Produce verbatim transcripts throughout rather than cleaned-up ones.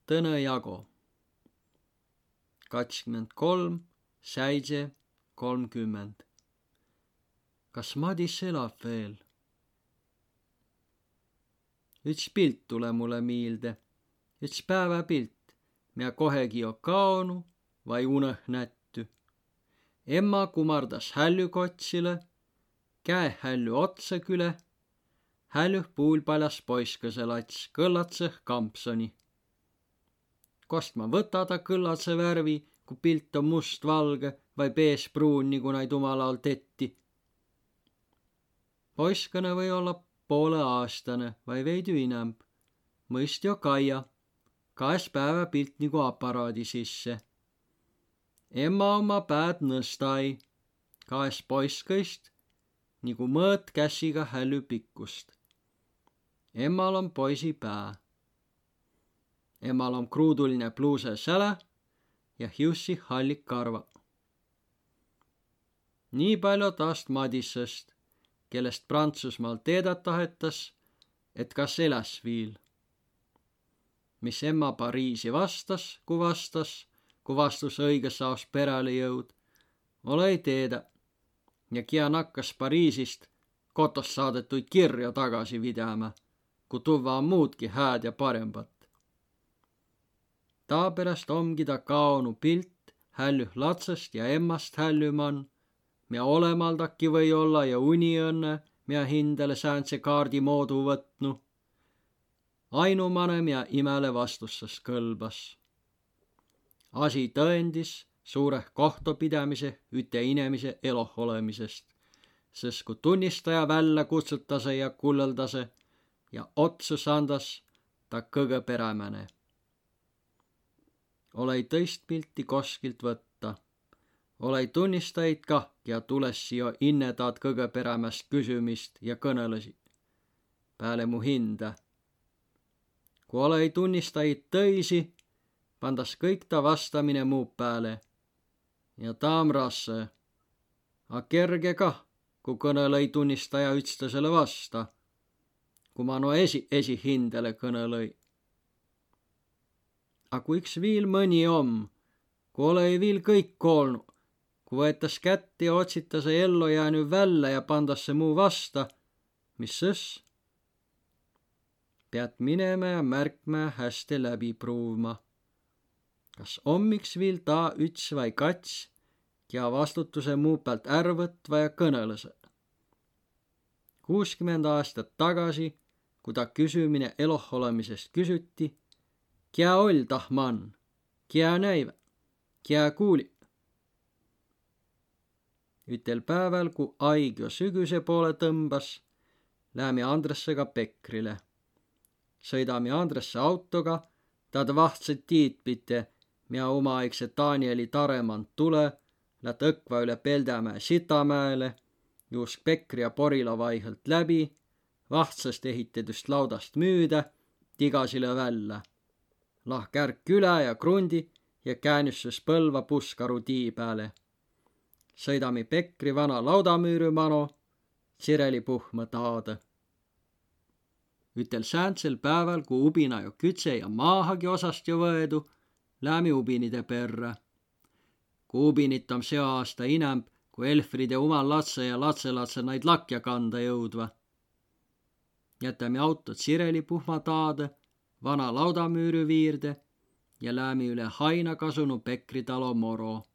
Tõnõ jago. Katskümmend kolm, säidse, kolmkümmend. Kas Madis elab veel? Üts pilt tulõ mulle miilde. Üts pääväpilt, mea kohegi jo kaonu vai unõ nättü. Emma kumardas hällü kotsilõ, käe hällü otsa külä, hällüh puulpaljas poiskasõ lats, kõllatsõh kampsoni. Kost ma võta ta kõllatsõ värvi, ku pilt om must-valgõ vai beež-pruun, nigu naid umal aol tetti? Poiskõnõ või olla poolõ aastanõ vai veidü inämb. Mõist jo kaia, kaes pääväpilt nigu aparaadi sisse. Emma omma pääd nõstai, kaes poiskõist nigu mõõt kässiga hällü pikkust. Emmal om poisi pää. Emmal om kruuduline pluusa sälä ja hiussi halli karva. Nii pallo taast Madisõst, kellest Prantsusmaal teedä tahetas, et kas eläs viil. Mis emma Pariisi vastas, ku vastas, ku vastus õigõs aos peräle jõud, olõ-i teedä. Ja kiä nakkas Pariisist kotost saadõtuid kirjo tagasi vidämä, ku tuvva om muudki hääd ja parembat. Taaperäst omgi ta kaonu pilt hällüh latsõst ja emmast hällü man, mea olõmaldaki või olla ja uni õnnõ, mea hindäle säändse kaardi moodu võtnu. Ainumanõ, mea imäle vastussas kõlbas. Asi tõendis suureh kohtopidämiseh üte inemise eloh olõmisest, sõs ku tunnistaja vällä kutsutasõ ja kullõldasõ ja otsus andas, ta kõgõ perämäne. Olõ-i tõist pilti koskilt võtta. Olõ-i tunnistajit kah, kiä tulessi jo inne taad kõgõ perämäst küsümist ja kõnõlõsi. Pääle mu hindä. Ku olõ-i tunnistajit tõisi, pandas kõik ta vastamine mu pääle. Ja taa om rassõ. A kerge kah, ku kõnõlõ-i tunnistaja ütstõsele vasta. Ku ma no esi, esi hindäle kõnõlõ-i. A ku iks viil mõni om, ku olõ-i viil kõik koolnu, ku võetas kätte ja otsitasõ ello jäänü vällä ja pandasõ mu vasta, mis sõs? Peat minemä ja märkmä häste läbi pruuvma. Kas om iks viil taa üts vai kats, kiä vastutusõ mu päält är võtva ja kõnõlõsõ? Kuuskümmend aastat tagasi, ku ta küsümine eloh olõmisest küsüti, kiä oll' tah man, kiä näivä, kiä kuuli. Ütel pääväl, ku aig jo sügüse poolõ tõmbas, läämi Andressega Pekrile. Sõidami Andresse autoga, taad vahtsõt tiid pite, mea umaaigse Danieli tarõ man tulõ, lätt õkva üle Peldämäe Sitamäele, juusk Pekri ja Porila vaihõlt läbi, vahtsõst ehitedüst laudast müüdä, tigasilõ vällä. Lahk är külä ja krundi ja käänüs sõs Põlva Puskaru tii pääle. Sõidami Pekri vana laudamüürü mano, Tsireli puhmõ taadõ. Ütel sääntsel pääväl, ku ubina jo küdse ja maahagi osast jo võedu, läämi ubinide perrä. Ku ubinit om seo aasta inämb, ku Elfride umal latsõ ja latsõlatsõ naid lakja kanda jõudva. Jätämi auto Tsireli puhmõ taadõ, vana laudamüürü viirde ja läämi üle haina kasunu Pekri talo moro.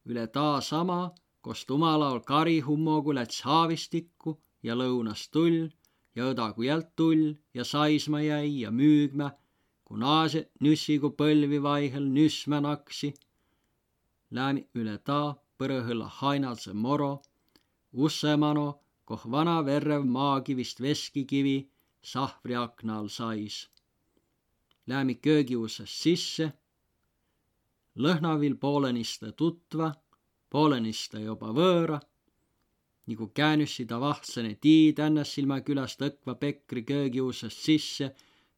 Üle taa sama, kost umal aol kari hummogu läts haavistikku ja lõunas tull ja õdagu jält tull ja saisma jäi ja müügmä, ku naase nüssigu põlvi vaihõl nüsmä naksi. Läämi üle taa põrõhõlla hainalsõ moro, ussõ mano, koh vana verrev maagi vist veskikivi sahvri akna all sais. Läämi köögiussast sisse. Lõhna viil poolõnistõ tutva, poolõnistõ joba vööra. Nigu käänüssi ta vahtsõne tii Tännässilmä küläst õkva Pekri köögiussast sisse,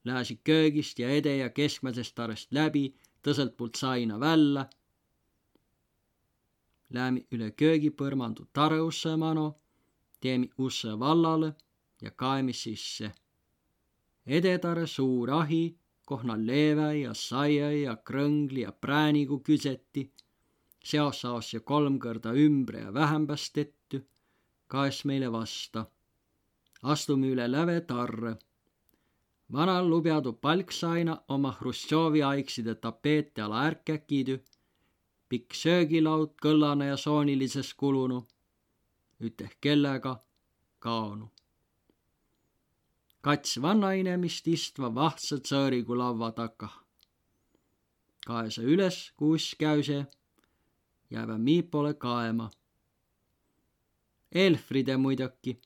lääsi köögist ja ede ja keskmäsest tarõst läbi, tõsõlt puult saina vällä. Läämi üle köögipõrmandu tarõussõ mano, teemi ussõ vallalõ ja kaemi sisse. Edetarõ suur ahi koh na leeväi ja saiai ja krõngli ja präänigu küseti, seosaos ja kolm kõrda ümbre ja vähämbäs tettü, kaes meile vasta. Astumi üle läve tarrõ. Vana lubjadu palksaina oma Hruštšovi aigside tapeete ala ärkäkidü, pikk söögilaud kõllana ja soonilises kulunu, üteh kelläga kaonu. Kats vannainemist istva vahtsõ tsõõrigu lavva takah. Kaesa üles, kuis käüse, jäävä mii poole kaema. Elfride muidoki,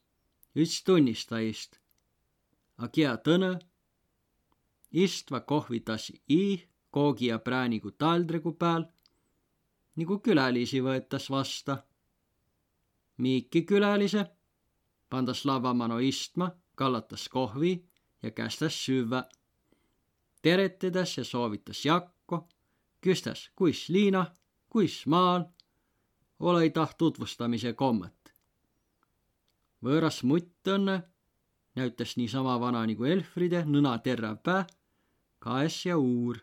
üts tunnistajist. A kiä tõnõ? Istva kohvitasi iih, koogi ja präänigu taaldregu pääl, nigu külälisi võetas vasta. Miiki külälise pandas lavva mano istma, kallatas kohvi ja kästäs süvvä. Teretedäs ja soovitas jakko, küstäs, kuis liina, kuis maal, olõ-i taht tutvustamise kommõt. Võõras mutt õnnõ näütäs niisama vana nigu Elfride, nõna terräv pää, kaes ja uur.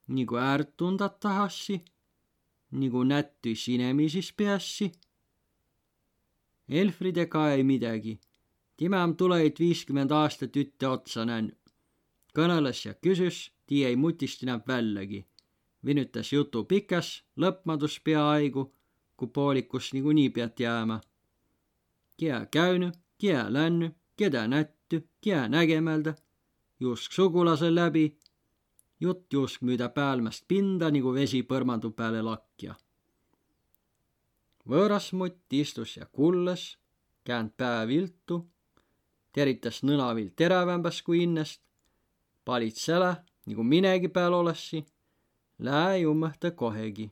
Nigu äärt tundat tahassi, nigu nättüis inemiisis peässi. Elfride kae-i midägi. Timä om tulõjit viiskümmend aastat ütte otsa nännü. Kõnõlõs ja küsüs, tii ei mutist inämb vällägi. Vinütäs jutu pikäs, lõpmadus peaaigu, ku poolikus nigu nii piat jäämä. Kiä käünü, kiä lännü, kedä nättü, kiä nägemäldä, juusk sugulasõ läbi, jutt juusk müüdä päälmäst pinda nigu vesi põrmandu pääle lakja. Võõras mutt istus ja kullõs, käänd pää viltu, teritäs nõna viil terävämbäs ku innest, palit sälä, nigu minegi pääl olõssi, lää-i ummõhtõ kohegi.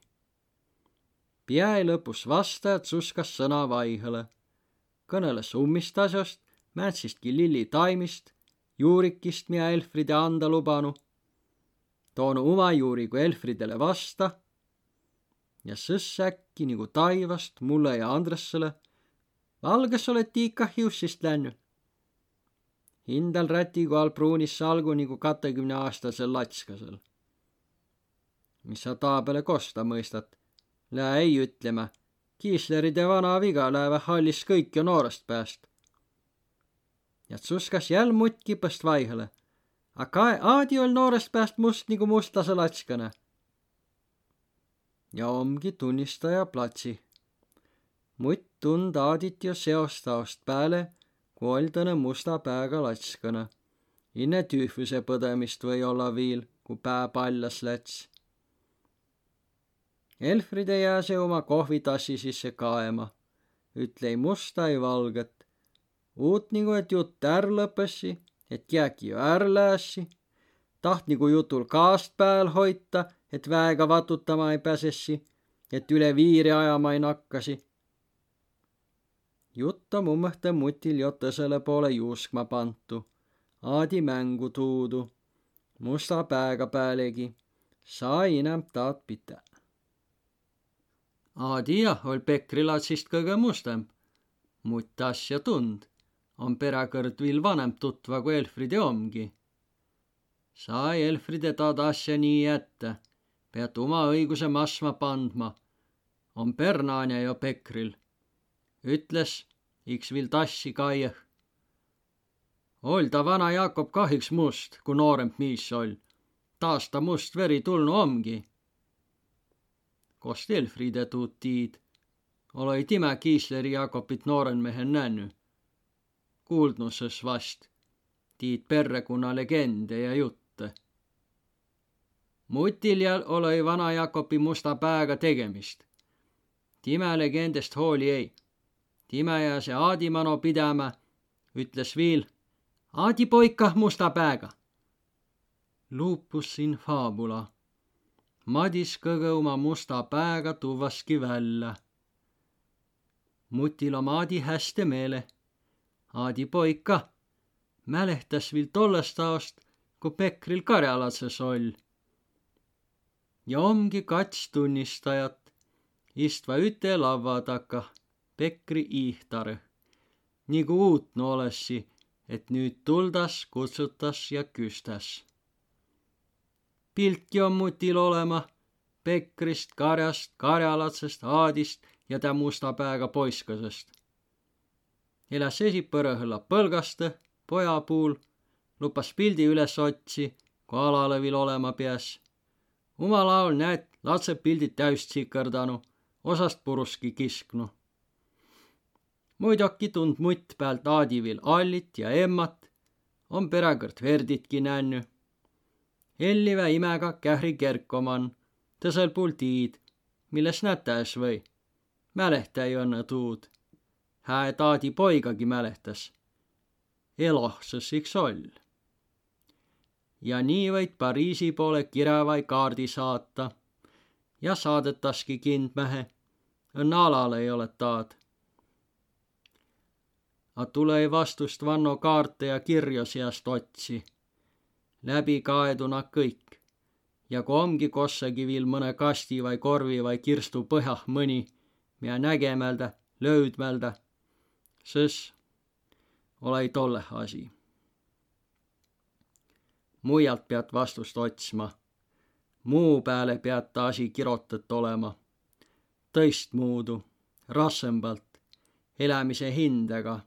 Piä-i lõpus vasta, et tsuskas sõna vaihõlõ. Kõnõlõs ummist asjost, määndsistki lilli taimist, juurikist, mia Elfride anda lubanu. Toonu uma juurigu Elfridele vasta. Ja sõs äkki nigu taivast mullõ ja Andressele: Valgõs olõt tii kah hiussist lännü. Hindäl rätigu all pruunis salgu nigu katõkümneaastasel latskasel. Mis sa taa pääle kosta mõistat? Lää-i ütlemä: Kiisleride vana viga läävät hallis kõiki noorõst pääst. Ja tsuskas jäl mutt kipõst vaihõlõ: A kae, Aadi oll' noorõst pääst must nigu mustasõ latskana. Ja omgi tunnistaja platsi. Mutt tund Aadit jo seost aost pääle, ku oll' tanõ musta pääga latskana. Inne tüüfüse põdõmist või olla viil, ku pää pallas läts. Elfride jääse uma kohvitassi sisse kaema. Ütle-i musta, ei valgõt. Uut nigu, et jutt är lõpessi, et kiäki jo är läässi. Taht nigu jutul kaast pääl hoita, et väega vatutama ei päsessi, et üle viiri ajama ei nakkasi. Jutt om ummõhtõ mutil jo tõsele poole juuskma pantu, Aadi mängu tuudu, musta pääga päälegi, saa inämb taad pitä. Aadi jah oll' Pekri latsist kõgõ mustamb, mutt asja tund, om peräkõrd viil vanemb tutva, ku Elfride omgi. Saa Elfride taad asja nii jättä, peat uma õiguse masma pandma. Om pernaanja jo Pekril. Ütles, iks viil tassi kaieh: Oll' ta vana Jakob kah iks must, ku nooremb miis oll'. Taast ta must veri tulnu omgi. Kos Elfride tuud tiid? Olõ-i timä Kiisleri Jakobit noorenmehen nännü. Kuuldnu sõs vast tiid perrekunna legende ja juttõ. Mutil ja olõ-i vana Jakobi musta pääga tegemist. Timä legendest hooli ei. Timä jääse Aadi mano pidämä, ütles viil: Aadi poig kah musta pääga. Lupus in fabula. Madis kõgõ uma musta pääga tuvvaski vällä. Mutil om Aadi häste meeleh. Aadi poig kah. Mälehtäs viil tollast aost, ku Pekril karjalatsas oll'. Ja omgi kats tunnistajat, istva üte lavva takah, Pekri iihtarõ. Nigu uutnu olõssi, et nüüt tuldas, kutsutas ja küstäs. Piltki om mutil olema, Pekrist, Karjast, Karjalatsest, Aadist ja tä musta pääga poiskasest. Eläs esi põrahõlla põlgastõ, poja puul, lupas pildi üles otsi, ku alalõ vil olema piäs. Umal aol näet latse pildit täüs tsikõrdanu, osast puruski kisknu. Muidoki tund mutt päält Aadi vil allit ja emmat, om peräkõrd verditki nännü. Ellivä imäga Kähri kerko man, tõsõl puul tiid, milles nätä es või. Mälehtä-i õnnõ tuud. Hää, et Aadi poigagi mälehtäs. Eloh sõs iks oll'. Ja nii võit Pariisi poole kirä vai kaardi saata. Ja saadõtaski kindmähe. Õnnõ alal ei ole taad. A tulõ-i vastust vanno kaarte ja kirjo siast otsi. Läbi kaedu na kõik. Ja ku omgi kossagi vil mõne kasti vai korvi vai kirstu põhjah mõni, miä nägemäldä, löüdmäldä, sõs olõ-i tolleh asi. Muialt piät vastust otsma. Muu pääle piät asi kirotõt olema. Tõistmuudu, rassõmbalt, elämise hindäga.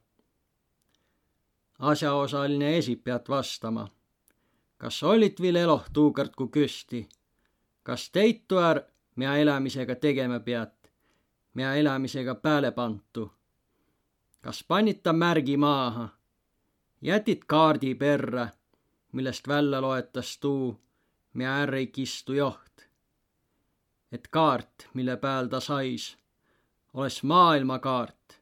Asjaosaline esi piät vastama. Kas ollit vil eloh tuukõrd, ku küsti? Kas teit tuu är, miä elämisega tegemä piät, miä elämisega pääle pantu? Kas pannit ta märgi maaha? Jätit kaardi perrä, millest vällä loetas tuu, miä är ei kistu joht? Et kaart, mille pääl ta sais, oles maailmakaart,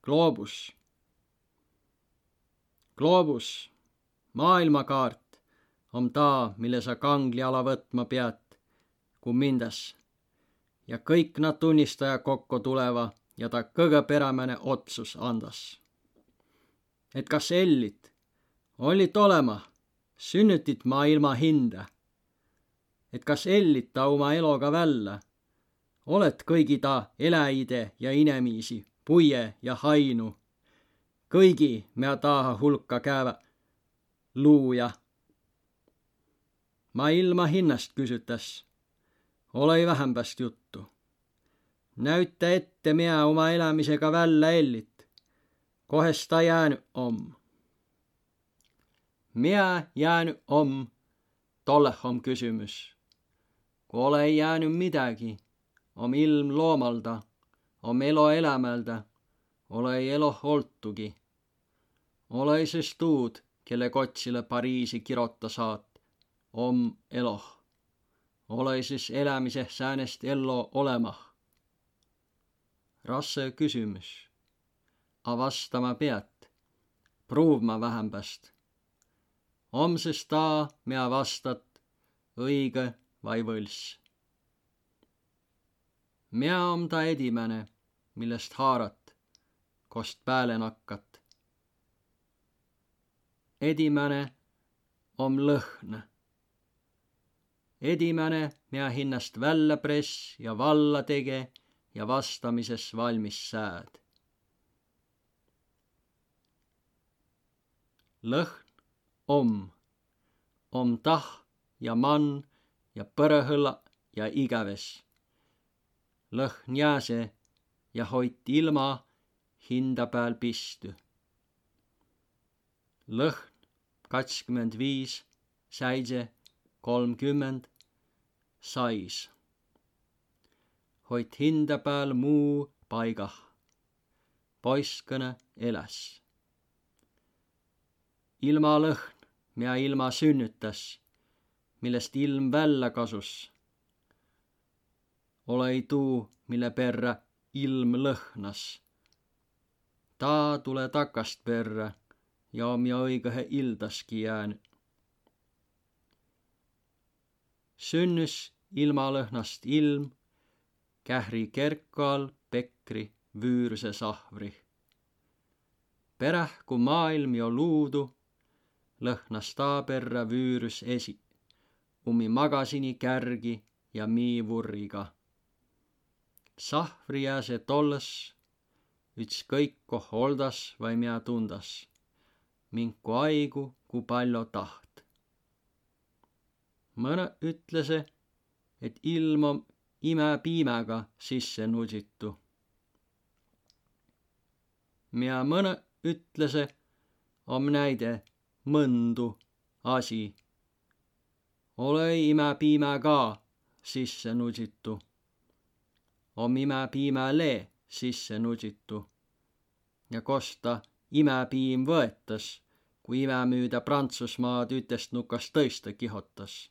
gloobus. Gloobus, maailmakaart, om taa, mille sa kangli ala võtma piät, ku mindäs. Ja kõik na tunnistaja kokko tuleva ja ta kõgõ perämäne otsus andas. Et kas ellit, ollit olema, sünnütit maailma hindä. Et kas ellit ta uma eloga vällä, olet kõigi ta eläjide ja inemiisi, puie ja hainu, kõigi, mea taaha hulka käävä luuja. Ma ilma hinnast küsütäs. Olõ-i vähämbäst juttu. Näütä ette, mea uma elämisega vällä ellit. Kohes ta jäänü om? Mea jäänü om, tolleh om küsümüs. Ku olõ-i jäänü midägi, om ilm loomalda, om elo elämäldä, olõ-i eloh oltugi. Olõ-i sys tuud, kelle kotsilõ Pariisi kirota saat, om eloh. Olõ-i sys elämiseh säänest ello olõmah. Rassõ küsümüs. A vastama piät. Pruuvma vähämbäst. Om sys taa, mea vastat, õigõ vai võlss. Mea om ta edimäne, millest haarat, kost pääle nakkat? Edimäne om lõhn. Edimäne, mea hinnast vällä press ja valla tege ja vastamises valmis sääd. Lõhn om, om tah ja man ja põrahõlla ja igäves. Lõhn jääse ja hoit ilma hinda pääl pistü. Lõhn katskümmend viis, säidse, kolmkümmend, sais. Hoit hinda pääl muu paigah. Poiskõnõ eläs. Ilmalõhn, mea ilma sünnütäs, millest ilm vällä kasus. Olõ-i tuu, mille perrä ilm lõhnas. Taa tulõ takast perrä ja om jo õigõhe ildaski jäänü. Sünnüs ilmalõhnast ilm Kähri kerkal Pekri Vüürüse sahvri. Peräh ku maailm jo luudu, lõhnas taa perrä Vüürüs esi, ummi magasini kärgi ja mii vurriga. Sahvri jääse tollõs, ütskõik koh oldas vai mea tundas, minku aigu ku pall'o taht. Mõnõ ütlese, et ilm om imä piimäga sisse nusitu. Mia mõnõ ütlese, om näide mõndu asi. Olõ-i imä piimäga sisse nusitu. Om imä piimäle sisse nusitu. Ja kosta imä piim võetas, ku imä müüdä Prantsusmaad ütest nukast tõista kihotas.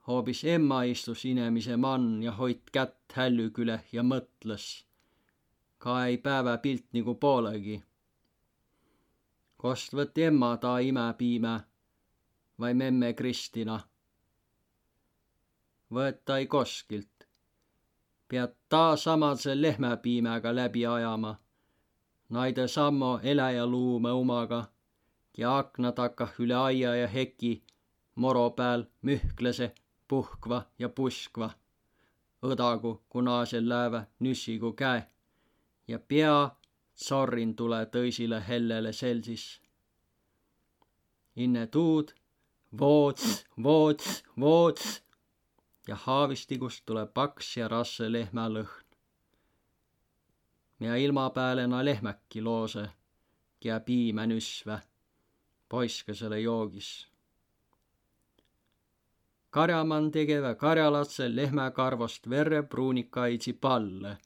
Hoobis emma istus inemise man ja hoit kätt hällü küleh ja mõtlõs. Ka ei päävä pilt nigu poolõgi. Kost võtt emma taa imä piimä vai memme Kristina? Võet-ai koskilt. Piät taa samadse lehmäpiimäga läbi ajama. Naidõ sammo eläjäluumõ umaga, kiä akna takah üle aia ja heki moro pääl mühklese, puhkva ja puskva. Õdagu, ku naasel läävä nüssigu käe ja pea tsorrin tulõ tõisilõ hellele selsis. Inne tuud voots, voots, voots ja haavistigust tulõ paks ja rassõ lehmälõhn. Mia ilma pääle na lehmäki loosõ, kiä piimä nüssvä, poiskasele joogis. Karjaman tegevä karjalatsõ lehmäkarvost verrepruunikaidsi pallõ.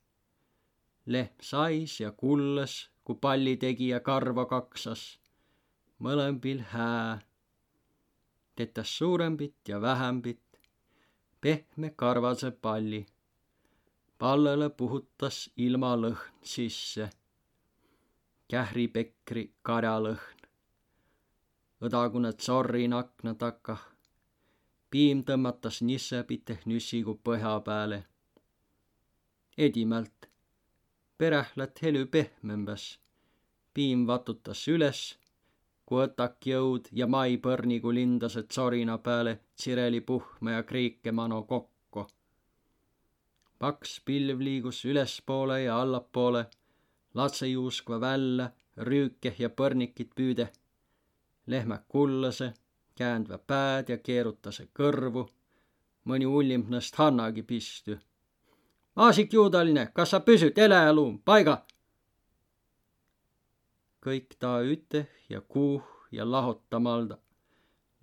Lehm sais ja kullõs, ku palli tegi ja karvo kaksas. Mõlõmbil hää. Tetäs suurõmbit ja vähämbit, pehme karvasõ palli. Pallõlõ puhutas ilmalõhn sisse. Kähripekri karjalõhn. Õdagunõ tsorrin akna takah. Piim tõmmatas nissepiteh nüssigu põhja pääle. Edimält. Peräh lätt helü pehmembäs. Piim vatutas üles, ku õtak jõud ja mai põrnigu lindase tsorina pääle tsireli puhma ja kriike mano kokko. Paks pilv liigus ülespoole ja allapoole, latsõ juuskva vällä, rüüke ja põrnikit püüde. Lehmä kullase, käändvä pääd ja keerutase kõrvu. Mõni ullimb nõst hannagi pistü. Maasik juudaline, kas sa püsüt, eläjäluum, paiga! Kõik taa üteh ja kuuh ja lahotamalda.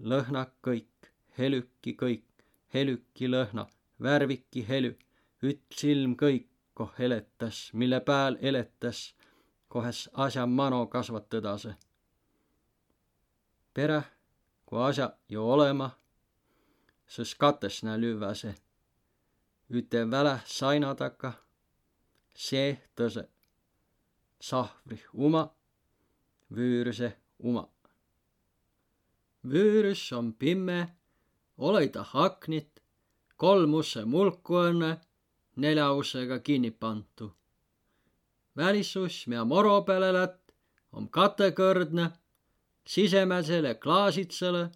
Lõhna kõik, helüki kõik, helüki lõhna, värviki helü, üts ilm kõik, koh eletäs, mille pääl eletäs, kohes asja mano kasvatõdase. Peräh, ku asja jo olema, sõs katõs nä lüvväse. Üte väläh saina takka, seeh tõse. Sahvrih uma, vüürüseh uma. Vüürüs om pimme, olõ-i tah aknit, kolm usse mulku õnnõ, nelja ussega kinni pantu. Välisuss, mia moro pääle lätt, om katõkõrdnõ, sisemädsele klaasitsele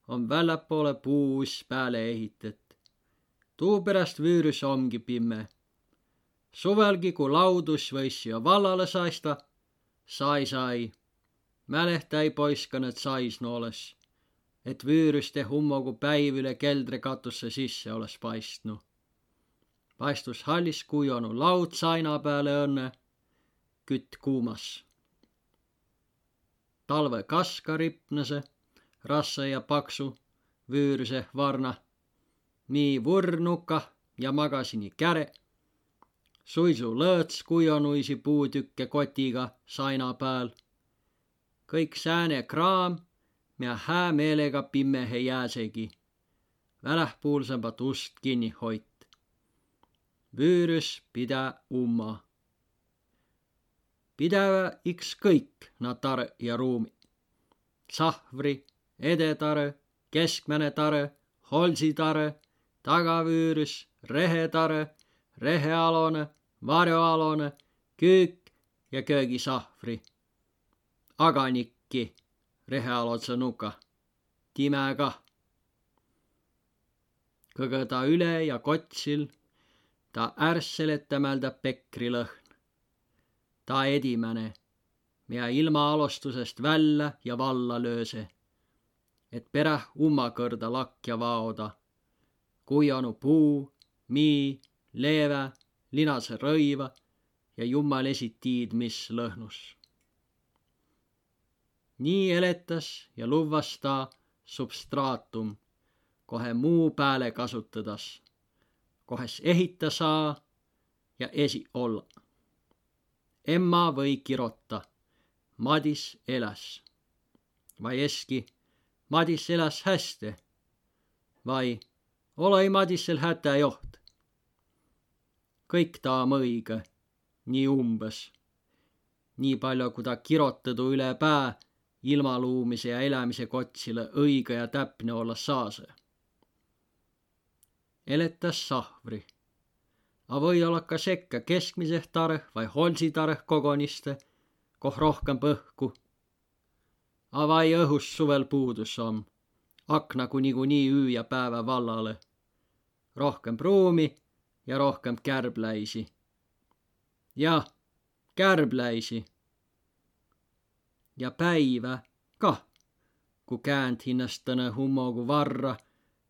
om välläpoole puuuss pääle ehitet. Tuuperäst vüürüs omgi pimme. Suvõlgi, ku laudus võissi jo vallalõ saista, saisa-i. Mälehtá-i poiskanõ saisnu oles, et vüürüs deh ummogu päiv üle keldrekatusse sisse oles paistnu. Paistus hallis kujonu laud saina pääle õnnõ, kütt kuumas. Talvõ kaska ripnase, rasse ja paksu, vüürüse varna. Mii vurr nuka ja magasini käre. Suisu lõõts kujonuisi puutükke kotiga saina pääl. Kõik sääne kraam, mia hää meelega pimmehe jääsegi. Välähpuulsõmbat ust kinni hoit. Vüürüs pidä umma. Pidävä iks kõik na tarõ ja ruumi. Sahvri, edetarõ, keskmäne tarõ, holsitarõ, tagavüürüs, rehetarõ, rehealonõ, varjoalonõ, küük ja köögisahvri. Aganikki rehealodsõ nuka. Timä kah. Kõgõ taa üle ja kotsil, taa ärsseletämäldä pekrilõhn. Taa edimäne, mia ilma alostusest vällä ja valla lööse, et peräh ummakõrda lakja vaoda. kujonu puu, mii, leevä, linase rõiva ja jummal esi tiid mis lõhnus. Nii eletäs ja luvvas taa substraatum, kohe muu pääle kasutõdas, kohes ehitä saa ja esi olla. Emma või kirota: Madis eläs. Vai eski: Madis eläs häste. Vai: Olõ-i Madisel hätä joht. Kõik taa om õigõ, nii umbõs. Nii pallo, ku taa kirotõdu üle pää ilmaluumise ja elämise kotsilõ õigõ ja täpne olla saasõ. Eletäs sahvri. A või olla ka sekkä keskmiseh tarõh vai holsitarõh kogoniste, koh rohkemb õhku. A vai õhus suvel puudus om, akna ku nigunii üü ja päävä vallalõ. Rohkemb ruumi ja rohkemb kärbläisi. Jah, kärbläisi. Ja päivä kah, ku käänd hinnäst tõnõ hummogu varra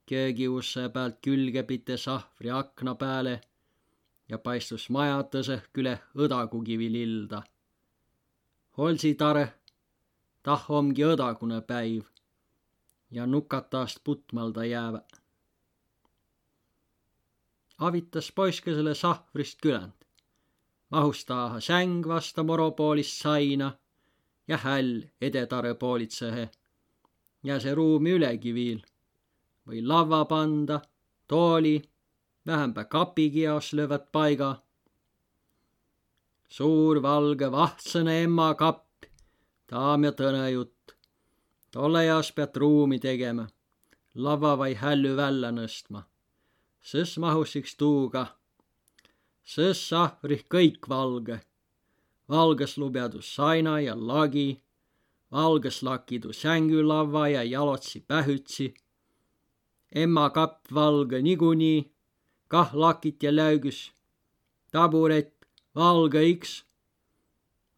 köögiussõ päält külge pite sahvri akna pääle ja paistus maja tõsõh küleh õdagugi viil ilda. Holsitarõh, tah omgi õdagunõ päiv ja nukataast putmalda jäävä. Avitas poiskõsele sahvrist küländ. Mahus taaha säng vasta moro poolist saina ja häll edetarõ poolitsõhe. Jääse ruumi ülegi viil. Või lavva panda, tooli, vähämbä kapigi jaos lövvät paiga. Suur valgõ vahtsõnõ emma kapp, taa om jo tõnõ jutt. Tollõ jaos piät ruumi tegemä, lavva vai hällü vällä nõstma. Sõs mahus iks tuu kah. Sõs sahvrih kõik valgõ. Valgõs lubjadu saina ja lagi, valgõs lakidu sängülavva ja jalotsi pähütsi. Emma kapp valgõ nigunii, kah lakit ja läügüs. Taburet valgõ iks.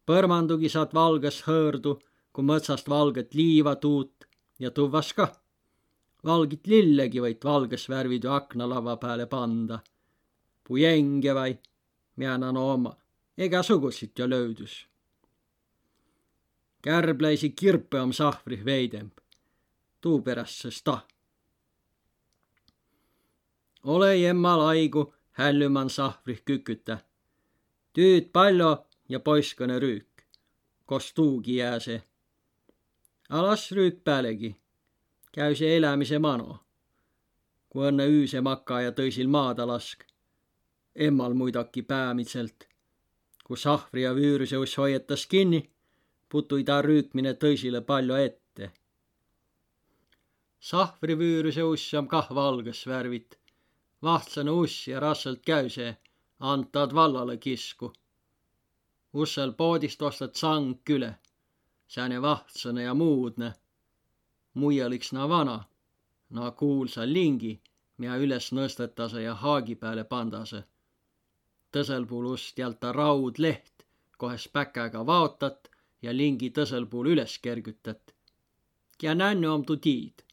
Põrmandugi saat valgõs hõõrdu, ku mõtsast valgõt liiva tuut, ja tuvvas kah. Valgit lillegi võit valgõs värvidü aknalavva pääle panda. Pujenge vai, miä na no omma, egäsugusit jo löüdüs. Kärbläisi kirpõ om sahvrih veidemb. Tuuperäst sõs ta. Olõ-i emmal aigu hällü man sahvrih kükütä. Tüüd pallo ja poiskõnõ rüük, kos tuugi jääse. A las rüük päälegi, käüse elämise mano, ku õnnõ üüse maka ja tõisil maada lask. Emmal muidoki päämidselt, ku sahvri ja vüürüse uss hoiatas kinni, puttu-i taa rüükmine tõisilõ pallo ette. Sahvri vüürüse uss om kah valgõs värvit. Vahtsõnõ uss ja rassõlt käüse, antad vallalõ kisku. Ussel poodist ostat sang küle, sääne vahtsõnõ ja muudnõ. Muial iks na vana, na kuulsa lingi, miä üles nõstõtasõ ja haagi pääle pandasõ. Tõsõl puul ust jalta raud leht, kohes päkäga vaotat ja lingi tõsõl puul üles kergütät. Kiä nännü om, tuu tiid.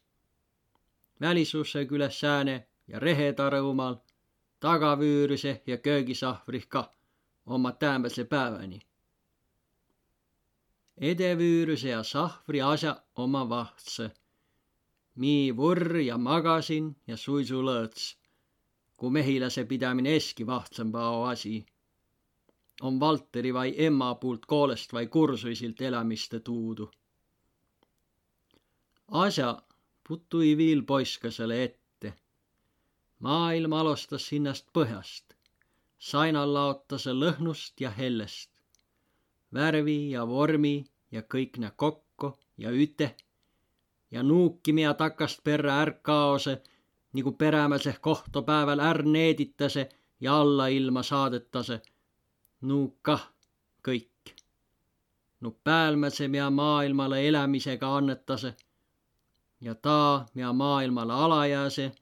Välisusse küläh sääne ja rehetarõ umal, tagavüürüse ja köögisahvrih kah, omma täämbädse pääväni. Edevüürüse ja sahvri asja omma vahtsõ. Mii vurr ja magasin ja suisulõõts, ku mehiläse pidämin eski vahtsõmba ao asi. Om Valteri vai emma puult koolest vai kursuisilt elämiste tuudu. Asja puttu-i viil poiskasele ette. Maailm alostas hinnäst põhjast. Sainal laotasõ lõhnust ja hellest. Värvi ja vormi ja kõik nä kokko ja üte. Ja nuuki, miä takast perrä ärkaosõ, nigu perämädseq kohto pääväl är needitäse ja alla ilma saadõtasõ. Nuuq kah, kõik. Nuuq päälmädse, miä maailmalõ elämisega annetase, ja taa, miä maailmalõ ala jääse,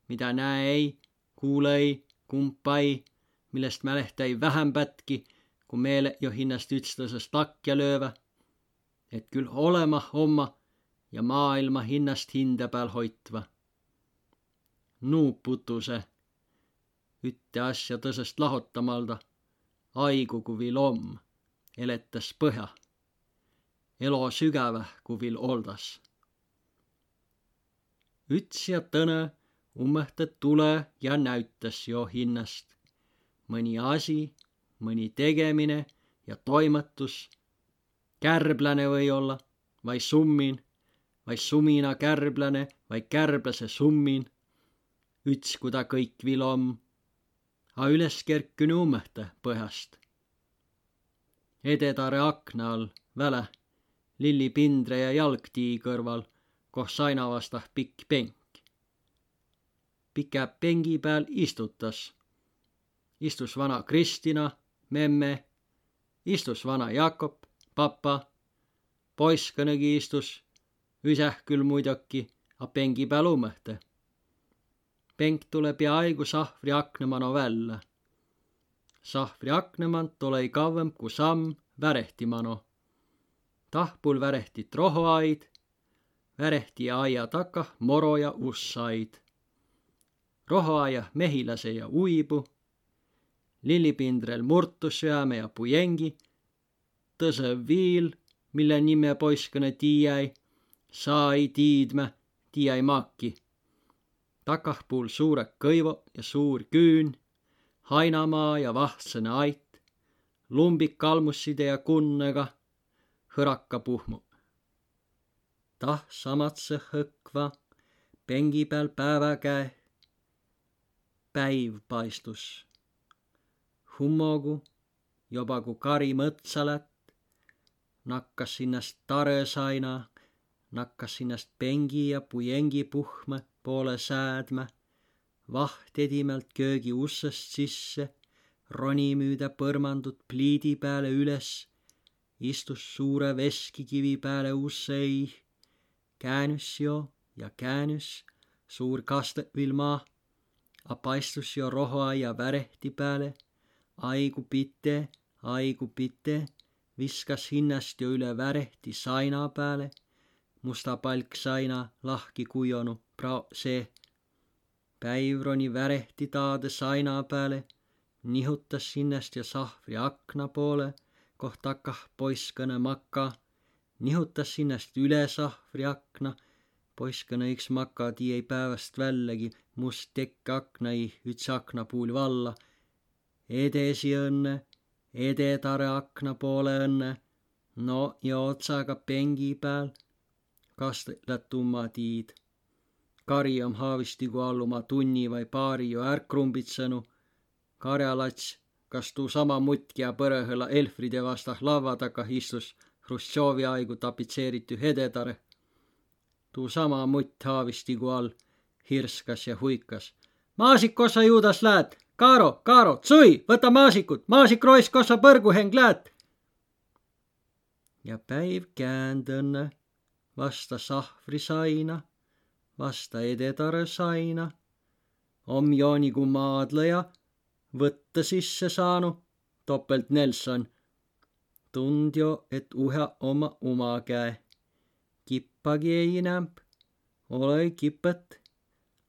midä nä ei, kuulõ-i, kumpa-i, millest mälehtá-i vähämbätki, ku meeleq jo hinnäst ütstõsõst lakja löövä, et kül olõmah omma ja maailma hinnäst hindä pääl hoitva. nuuputuse ütte asja tõsõst lahotamalda. Aigu ku viil om, eletäs põhja. Elo sügäväh ku viil oldas. Üts ja tõnõ ummõhtõ tulõ ja näütäs jo hinnäst. Mõni asi, mõni tegemine ja toimõtus, kärbläne või-olla, vai summin, vai sumina kärbläne, vai kärbläse summin, üts ku ta kõik viil om, a üles kerkünü ummõhtõ põhjast. Edetarõ akna all välä, lilli pindre ja jalgtii kõrval, koh saina vastah pikk penk. Pikä pengi pääl istutas. Istus vana Kristina, memme, istus vana Jakob, papa, poiskõnõ istus, üsäh kül muidoki, a pengi pääl ummõhtõ. Penk tulõ pia aigu sahvri akna mano vällä. Sahvri akna mant olõ-i kavvemb ku samm värehti mano. Tahpul värehtit rohoaid, värehti aia takah moro ja ussaid. Rohoaiah mehiläse ja uibu, lillipindrel murtusüäme ja pujengi, tõsõ viil, mille nimme poiskõnõ tiiäi, saa-i tiidmä, tiiäi makki. Takahpuul suurõ kõivo ja suur küün, hainamaa ja vahtsõnõ ait, lumbik kalmusside ja kunnega, hõrakapuhmu. Tah samatsõ hõkva pengi pääl päävä käeh päiv paistus. Hummogu, joba ku kari mõtsa lätt, nakkas hinnäst tarõ saina, nakkas hinnäst pengi ja pujengi puhmõ poolõ säädmä, vaht edimält köögi ussõst sisse, roni müüdä põrmandut pliidi pääle üles, istus suurõ veskikivi pääle ussõ iih, käänüs jo ja käänüs, suur kastõ viil maah, a paistus jo rohoaia värehti pääle, aigu pite, aigu pite, viskas hinnäst jo üle värehti saina pääle, musta palk saina lahki kujonu prao seeh. Päiv roni värehti taadõ saina pääle, nihutas hinnäst jo sahvri akna poolõ, koh takah poiskõnõ makka, nihutas hinnäst üle sahvri akna, poiskõnõ iks makka, tiiäi pääväst vällägi, must tekk akna iih, üts aknapuul valla. Edesi õnnõ, edetarõ akna poolõ õnnõ, no ja otsaga pengi pääl, kastõ lätt umma tiid. Kari om haavistigu all uma tunni vai paari jo är krumbitsõnu. Karjalats, kas tuu sama mutt, kiä põrõhõla Elfride vastah lavva takah istus Hruštšovi aigu tapitseeritüh edetarõ. Tuu sama mutt haavistigu all hirskas ja huikas: Maasik, kos sa juudas läät? Karo, Karo, tsui, võta maasikut, maasik rois, kos sa põrguheng läät? Ja päiv käänd õnnõ vasta sahvri saina, vasta edetarõ saina, om jo nigu maadlõja võttõ sisse saanu, Doppelt Nelson. Tund jo, et uhe omma uma käe. Kippagi ei inämb, olõ-i kipõt.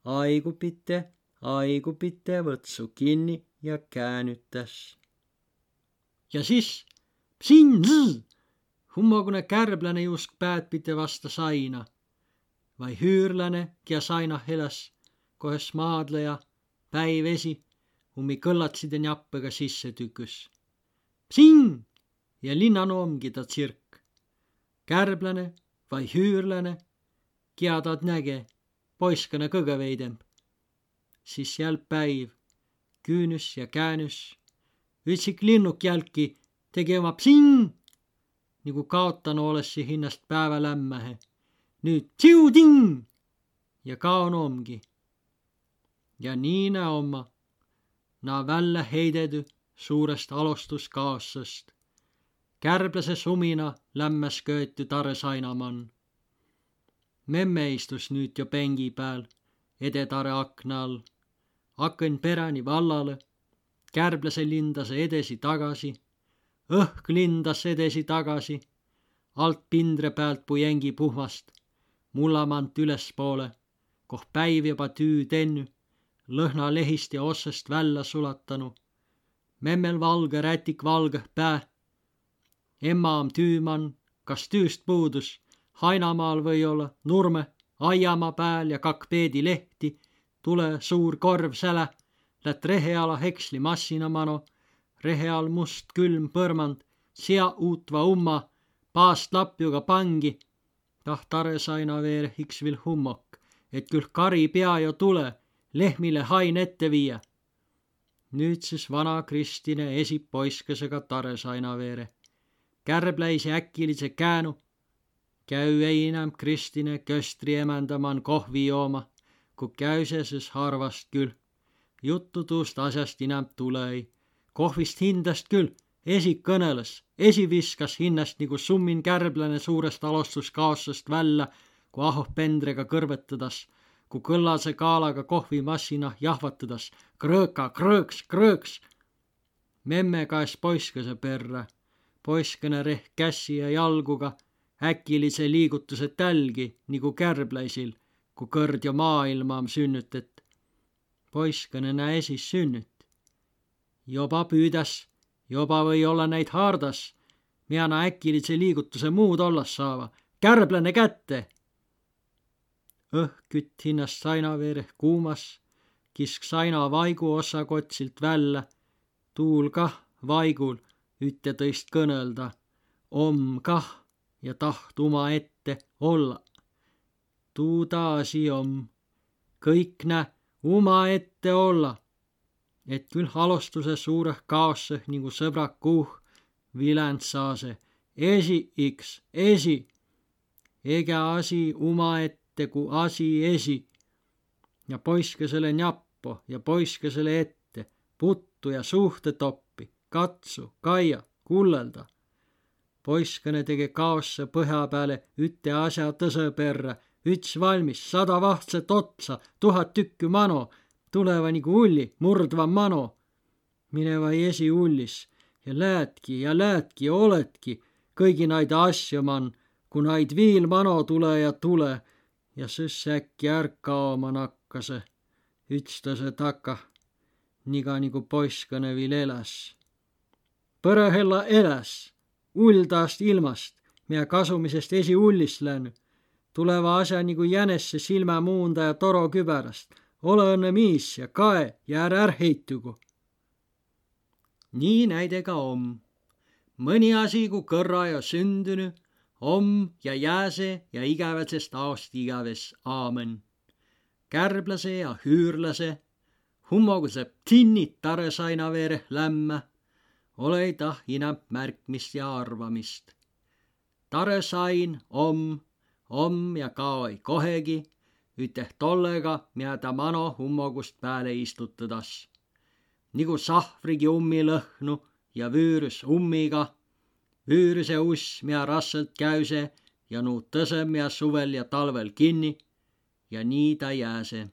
Aigu pite, aigu pite, võtsu kinni ja käänütäs. Ja sis, psin, zzz! Hummogunõ kärbläne juusk pääd pite vasta saina. Vai hüürläne, kiä sainah eläs, kohes maadlõja, päiv esi, ummi kõllatside njappõga sisse tüküs. Psin! Ja linnanu omgi ta tsirk. Kärbläne vai hüürläne, kiä taad näge, poiskõnõ kõgõ veidemb. Sis jälq päiv, küünüs ja käänüs, ütsik linnuk jälki tege uma psin, nigu kaotanu olõssi hinnäst päävä lämmähe. Nüüt psiu-ding! Ja kaonu omgi. Ja nii nä omma, na vällä heidedü suurest alostuskaossõst. Kärbläse sumina lämmäs köetü tarõ saina man. Memme istus nüüt jo pengi pääl, edetarõ akna all. Akõn peräni vallalõ, kärbläse lindasõ edesi-tagasi, õhk lindas edesi-tagasi, alt pindre päält pujengi puhmast, mulla mant ülespoolõ, koh päiv joba tüü tennü, Lõhna lehisti ossast vällä sulatanu. Memmel valgõ rätik valgõh pää. Emma om tüüman, kas tüüst puudus, hainamaal või-olla, nurmõ, aiama pääl ja kak peedi lehti, tulõ suur korv sälä, lätt rehe ala heksli massina mano, rehe all must külm põrmand, sia uutva umma, paast lapjuga pangi, tah tarõsaina veereh iks vil hummok, et kül kari pea jo tulõ, lehmile hain ette viiä. Nüüdsüs vana Kristine esi poiskasega tarõsaina veere. Kärbläisi äkilidse käänu, käü ei inämb Kristine köstri emändä man kohvi jooma, ku käüse sys harvast kül. Juttu tuust asjast inämb tulõ-i. Kohvist hindäst kül, esi kõnõlõs, esi viskas hinnäst nigu summin kärbläne suurest alostus kaossast vällä, ku ahoh pendrega kõrvõtõdas, ku kõllasõ kaalaga kohvimassinah jahvatõdas: krõõka, krõõks, krõõks! Memme kaes poiskasõ perrä. Poiskane rehk kässi ja jalguga, äkilidse liigutusõ tälgi, nigu kärbläisil, ku kõrd jo maailma om sünnütet. Poiskane nä esi sünnüt. Joba püüdäs, joba või-olla näid haardas, mia na äkilidse liigutusõ muud ollas saava. Kärbläne kätte! Õhk kütt hinnäst saina veereh kuumas, kisk saina vaigu ossakotsilt vällä, tuul kah vaigul ütte-tõist kõnõlda, om kah ja taht uma ette olla. Tuu taa asi om. Kõik nä uma ette olla. Et kül alostusõ suurõh kaossõh nigu sõbrak kuuh viländ saase: esi iks, esi! Egä asi uma ette ku asi esi. Ja poiskasele njappo ja poiskasele ette, puttu ja suhte toppi, katsu, kaia, kullelda. Poiskane tege kaosse põhja pääle ütte asja tõsõ perrä, üts valmis, sada vahtset otsa, tuhat tükkü mano, tuleva nigu ulli, murdva mano. Mineva esi ullis ja läätki ja läätki, oletki, kõigi naid asjo man, ku naid viil mano tulõ ja tulõ, ja sys äkki är kaoma nakkase, ütstase takah, niga nigu poiskane viil eläs. Põrahella eläs, ull taast ilmast, mia kasumisest esi ullis lännü. Tuleva asja nigu jänesse silmä muunda ja toro kübärast. Ole õnne miis ja kae ja är ärheitugu. Nii näidega om. Mõni asi, ku kõrra ja sündünü, om ja jääse ja igävätsest aost igäves. Aamen. Kärbläse ja hüürläse, hummoguse ptinnit tarõsaina veereh lämmä, olõ-i tah inämb märkmist ja arvamist. Tarõsain om, om ja kao-i kohegi, üteh tollega, mia ta mano hummogust pääle istutõdas. Nigu sahvrigi ummi lõhnu ja vüürüs ummiga, vüürüse uss, mia rassõlt käüse ja nuutõsõ, mia suvel ja talvel kinni, ja nii ta jääse.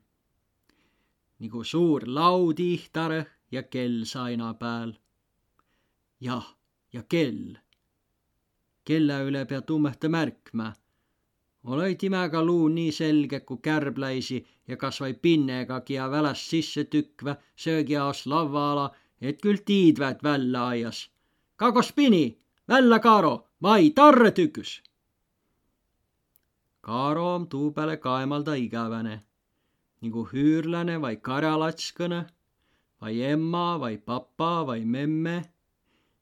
Nigu suur laud ihtarõ ja kell saina pääl. Jah, ja kell. Kellä üle pea tummõhte märkmä. Olõ-i timäga luu nii selge ku kärbläisi ja kas vai pinnegagi ja väläst sisse tükvä söögiaos lavva ala, et kül tiidvät vällä aias. Kagos pini, vällä, Kaaro, vai tarre tüküs! Kaaro om tuu pääle kaemalda igäväne, nigu hüürläne vai karjalatskõnõ, vai emma vai papa vai memme,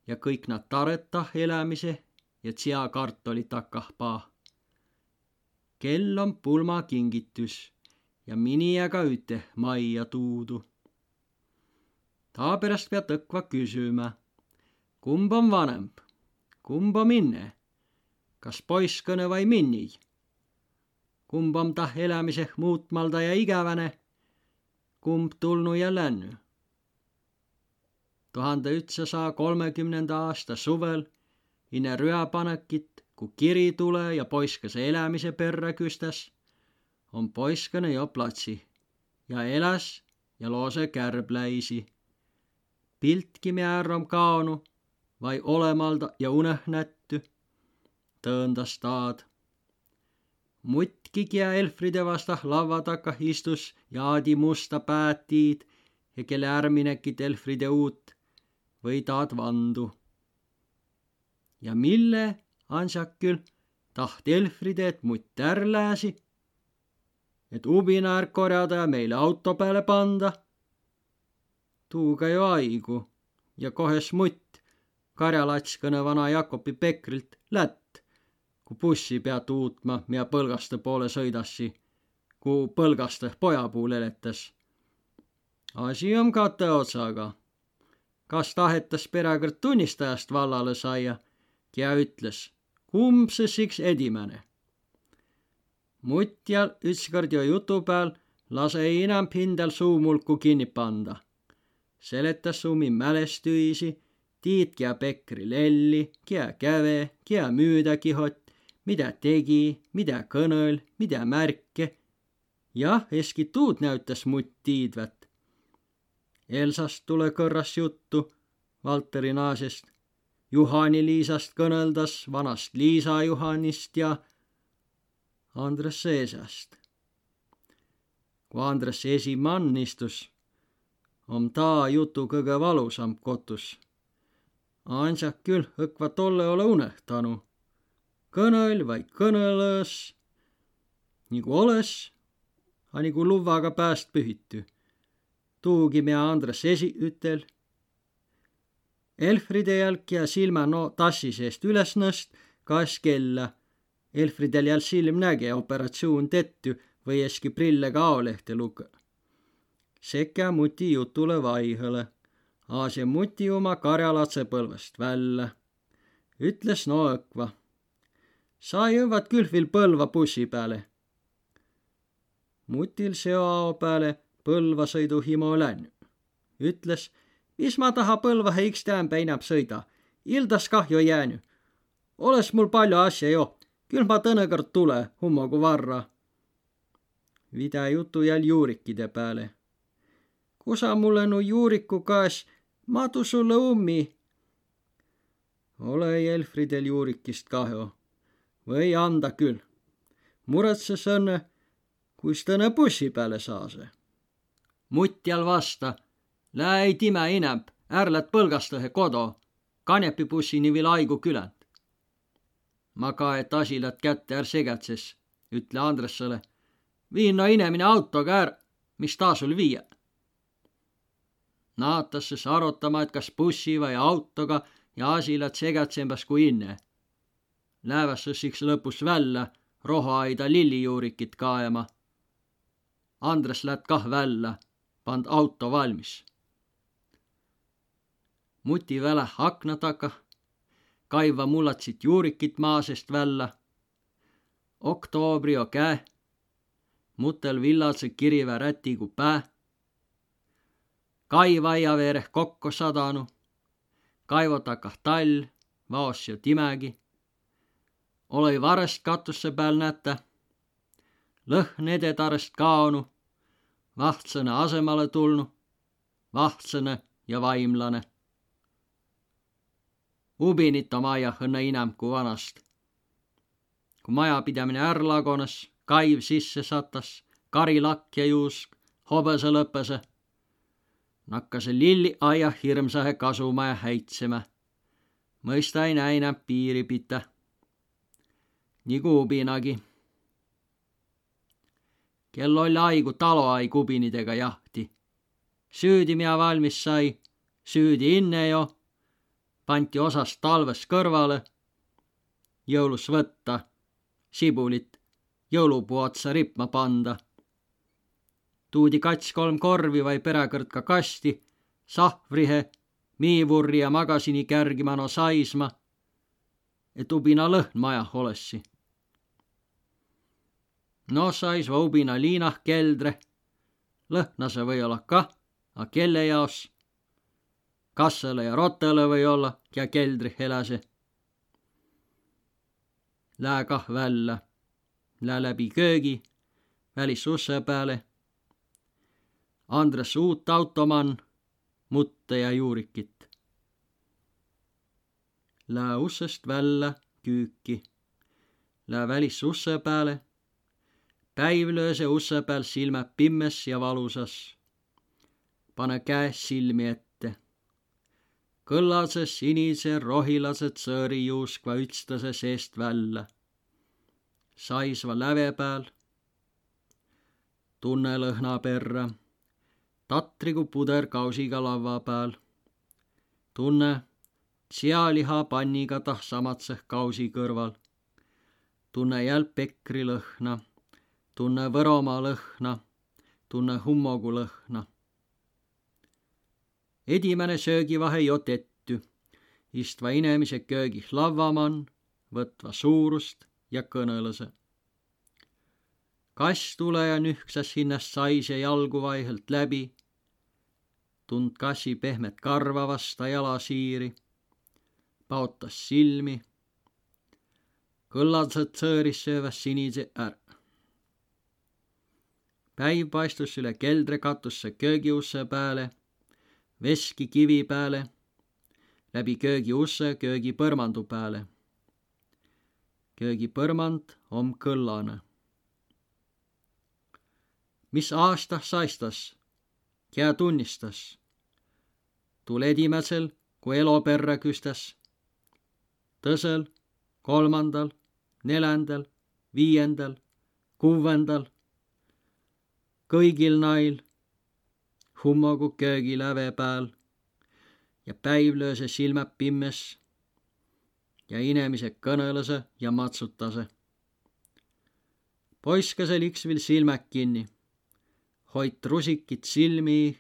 ja kõik na tarõtah elämise ja tsia kartoli takahpaa. Kell om pulma kingitüs ja miniäga üteh maija tuudu. Taaperäst pea tõkva küsümä: kumb om vanõmb? Kumb om inne? Kas poiskõnõ vai minni? Kumb om tah elämiseh muutmalda ja igäväne? Kumb tulnu ja lännü? Tuhande ütsasaa kolmekümnenda aasta suvel, inne rüapanõkit, ku kiri tulõ ja poiskase elämise perrä küstäs, om poiskane jo platsi ja eläs ja loosõ kärbläisi. Piltki, mea är om kaonu vai olõmalda ja unehnettü, tõõndas taad. Muttki, kiä Elfride vastah lavva takah istus ja aadi musta päätiid ja kelle ärminekit Elfride uut, või taad vandu. Ja mille, ansak kül, taht Elfride, et mutt är lääsi, et ubina är korjada ja meile auto pääle panda? Tuuga jo aigu. Ja kohes mutt karjalačkõnõ vana Jakobi Pekrilt lätt, ku bussi peat uutma, mia Põlgastõ poole sõidassi, ku Põlgastõ poja puul eletäs? Asi om katõ otsaga. Kas tahetas peräkõrd tunnistajast vallalõ saia, kiä ütles, kumb sõs iks edimäne? Muttjal ütskõrd jo jutu pääl lase ei inämb hindäl suumulku kinni panda. Seletäs ummi mälestüisi, tiid, kiä Pekri lelli, kiä käve, kiä müüdä kihot, midä tegi, midä kõnõl, midä märke. Jah, eski tuud näütäs mutt tiidvät. Elsast tulõ kõrras juttu, Valteri naasest. Juhani Liisast kõnõldas, vanast Liisa Juhanist ja Andres esäst. Ku Andres esi man istus, om taa jutu kõgõ valusamb kotus. Ansak kül õkva tollõ olõ unehtanu. Kõnõl vai kõnõlõs, nigu olõs, a nigu luvvaga pääst pühitü. Tuugi, mia Andres esi ütel. Elfride jälk ja silmä no tassi seest üles nõst, kaes kellä. Elfridel jälk silm näge, operatsioon tettü, või eski prillega aolehte lukõ. Sekä muti jutulõ vaihõlõ. Aase muti uma karjalatsõ Põlvast vällä. Ütles no õkva: Sa jõvvat kül vil Põlva bussi pääle. Mutil seo ao pääle Põlva sõiduhimo lännü. Ütles: Mis ma taha Põlvahe iks täämbä inämb sõida? Ildas kah jo jäänü. Olõs mul paljo asja jo, kül ma tõnõ kord tulõ, hummogu varra. Vidä jutu jälk juurikide pääle. Ku sa mulle nu juuriku kaes, ma tu sulle ummi. Olõ-i Elfridel juurikist kahjo. Või anda kül. Muretsesõ õnnõ, kuis tõnõ bussi pääle saasõ. Mutt jälk vasta: Lää ei timä inämb, är lät Põlgastõhe kodo. Kanepi bussini vil aigu küländ. Ma kae, et asi lät kätte, är segädses, ütle Andressele: Vii no inemine autoga är, mis taa sul viiä. Naatas sõs arotama, et kas bussi vai autoga, ja asi lät segädsembäs ku inne. Lääväs sõs iks lõpus vällä rohoaida lillijuurikit kaema. Andres lät kah vällä, pand auto valmis. Muti väläh akna takah, kaivva mullatsit juurikit maa seest vällä. Oktoobri o käe, mutel villadsõ kirivä rätigu pää. Kai vaia veereh kokko sadanu. Kaivo takah tall, vaos jo timägi. Olõ-i varest katusse pääl nätä. Lõhn ededarest kaonu, vahtsõnõ asõmalõ tulnu, vahtsõnõ ja vaimlanõ. Ubinit om aiah õnnõ inämb ku vanast. Ku majapidämine är lagonas, kaiv sisse satas, kari lakja juusk, hobõsõ lõpesõ, nakkasõ lilli aiah hirmsahe kasumaja häitsemä. Mõista ei näe inämb piiri pitä. Nigu ubinagi. Kel oll' aigu taloaig ubinidega jahti. Süüdi, mia valmis sai, süüdi inne jo, panti osas talvõs kõrvalõ, jõulus võtta, sibulit jõulupuu otsa ripma panda. Tuudi kats-kolm korvi vai peräkõrd ka kasti, sahvrihe, miivurri ja magasini kärgi mano saisma, et ubina lõhn majah olõssi. No saisva ubina liinah keldre, lõhnasõ või-olla kah, a kelle jaos? Kassõlõ ja rottalõ või-olla, kiä keldrih eläse. Lää kah vällä. Lää läbi köögi, välis ussõ pääle. Andres uut auto man, muttõ ja juurikit. Lää ussõst vällä küüki. Lää välis ussõ pääle. Päiv lööse usse pääl silmä pimmes ja valusas. Panõ käe silmi ette. Kõllasõ sinise rohilasõ tsõõri juuskva ütstase seest vällä. Saisva läve pääl. Tunnõ lõhna perrä. Tatrigu puder kausiga lavva pääl. Tunnõ tsialiha panniga tah samatseh kausi kõrval. Tunnõ jälp pekri lõhna. Tunnõ Võromaa lõhna. Tunnõ hummogu lõhna. Edimäne söögivahe jo tettü. Istva inemise köögih lavva man, võtva suurust ja kõnõlase. Kass tulõ ja nühksas hinnast saise jalgu vaihõlt läbi. Tund kassi pehmet karva vasta jalasiiri. Paotas silmi. Kõllasõ tsõõris sööväs sinise är. Päiv paistus üle keldre katusse köögiusse pääle, veski kivi pääle, läbi köögiusse köögipõrmandu pääle. Köögipõrmand om kõllanõ. Mis aastah saistas, kiä tunnistas? Tuul edimädsel, ku elo perrä küstäs. Tõsõl, kolmandal, neländäl, viiendäl, kuvvendal. Kõigil nail hummogu köögiläve pääl ja päiv lööse silmä pimmes ja inemise kõnõlase ja matsutase. Poiskasel iks vil silmä kinni. Hoit rusikit silmi,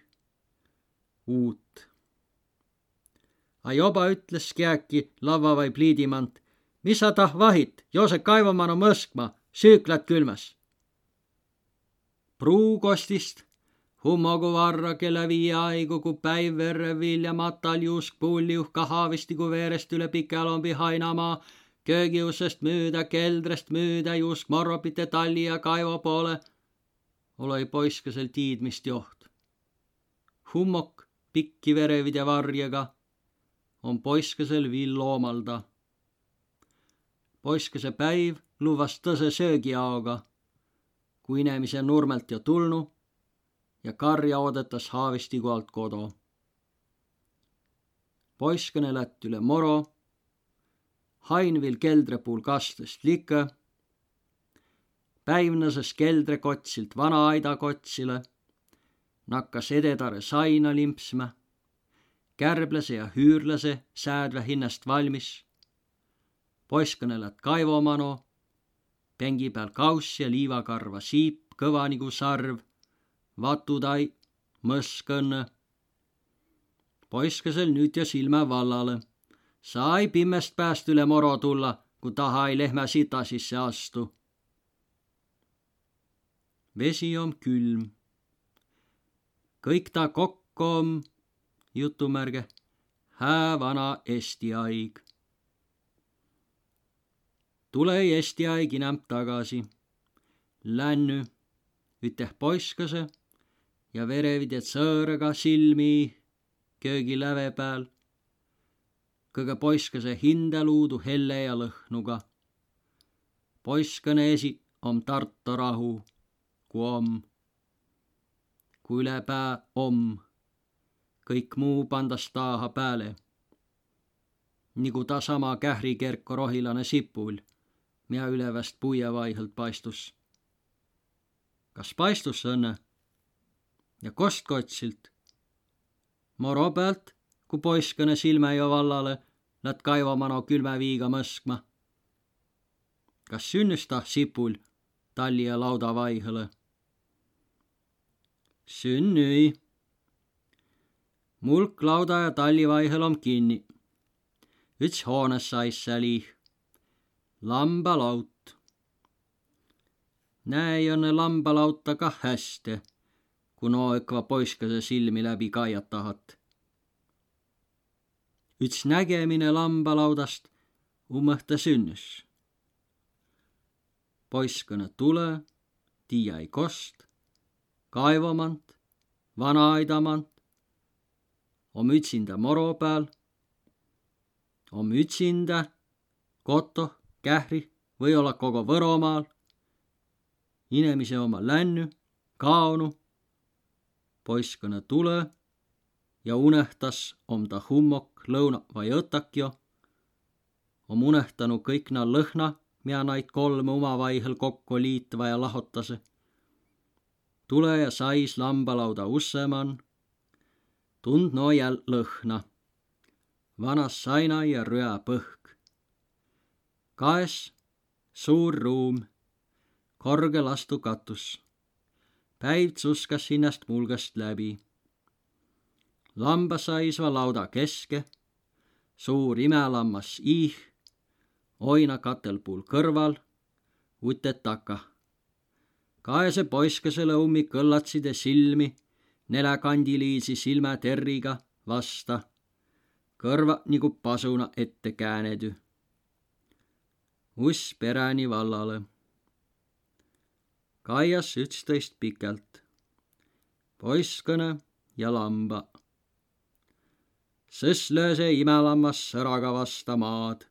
uut. A joba ütles kiäki lavva vai pliidi mant: Mis sa tah vahit, jose kaivo mano mõskma, süük lät külmäs. Pruugostist, hummogu varra kella viie aigu, ku päiv verrev vilja matal juusk puulliuhka haavistigu veerest üle Pikälombi hainamaa, köögiussest müüdä, keldrest müüdä, juusk morropite talli ja kaivo poole, olõ-i poiskasel tiidmist joht. Hummok pikki verevide varjega om poiskasel viil loomalda. Poiskase päiv luvvas tõsõ söögiaoga, ku inemise nurmelt jo tulnu ja karja oodõtas haavistigu alt kodo. Poiskane lätt üle moro, hain vil keldre puul kastõst likõ, päivnasas keldre kotsilt vana aida kotsilõ, nakkas edetarõ saina limpsmä, kärblase ja hüürlase säädvä hinnast valmis. Poiskane lätt kaivo mano, pengi pääl kaus ja liivakarva siip, kõva nigu sarv, vatudai, mõskõnnõ. Poiskasel nüüt jo silmä vallalõ. Saa-i pimmest pääst üle moro tulla, ku taha-i lehmä sita sisse astu. Vesi om külm. Kõik taa kokko om, jutumärge, hää vana esti aig. Tulõ-i esti aig inämb tagasi. Lännü üteh poiskase ja verevide tsõõrõga silmi köögiläve pääl. Kõgõ poiskase hindä luudu helle ja lõhnuga. Poiskane esi om Tarto rahu, ku om. Ku ülepää om, kõik muu pandas taaha pääle. Nigu taa sama Kähri kerko rohilane sipull, mia üleväst puie vaihõlt paistus. Kas paistus õnnõ? Ja kost kotsilt? Moro päält, ku poiskane silmä jo vallalõ, lätt kaivo mano külmä viiga mõskma. Kas sünnüs taa sipull talli ja lauda vaihõlõ? Sünnü-i. Mulk lauda ja talli vaihõl om kinni. Üts hoonas sais sääl iih. Lambalaut. Näe-i õnnõ lambalauta kah häste, ku no õkva poiskase silmi läbi kaijat tahat. Üts nägemine lambalaudast um õhta sünnüs. Poiskõnõ tulõ, tiiä-i kost, kaivo mant, vana aida mant, om ütsindä moro pääl, om ütsindä, kotoh, Kähri, või-olla kogo Võromaal. Inemise omma lännü, kaonu. Poiskõnõ tulõ ja unehtas, om ta hummok, lõuna vai õtakjo. Om unehtanu kõik na lõhna, mea naid kolmõ umavaihõl kokko liitva ja lahotasõ. Tulõ ja sais lambalauda usse man. Tund no jäl lõhna. Vanas saina ja rüa põhk. Kaes suur ruum, korge lastu katus. Päiv tsuskas hinnäst mulgast läbi. Lamba saisva lauda keske, suur imälammas iih, oina katel puul kõrval, utet takah. Kaese poiskasele ummi kõllatside silmi, neläkandiliisi silmäterriga vasta, kõrva nigu pasuna ette käänedü. Uss peräni vallalõ. Kaias ütstõist pikält. Poiskõnõ ja lamba. Sõs lööse imälammas sõraga vasta maad.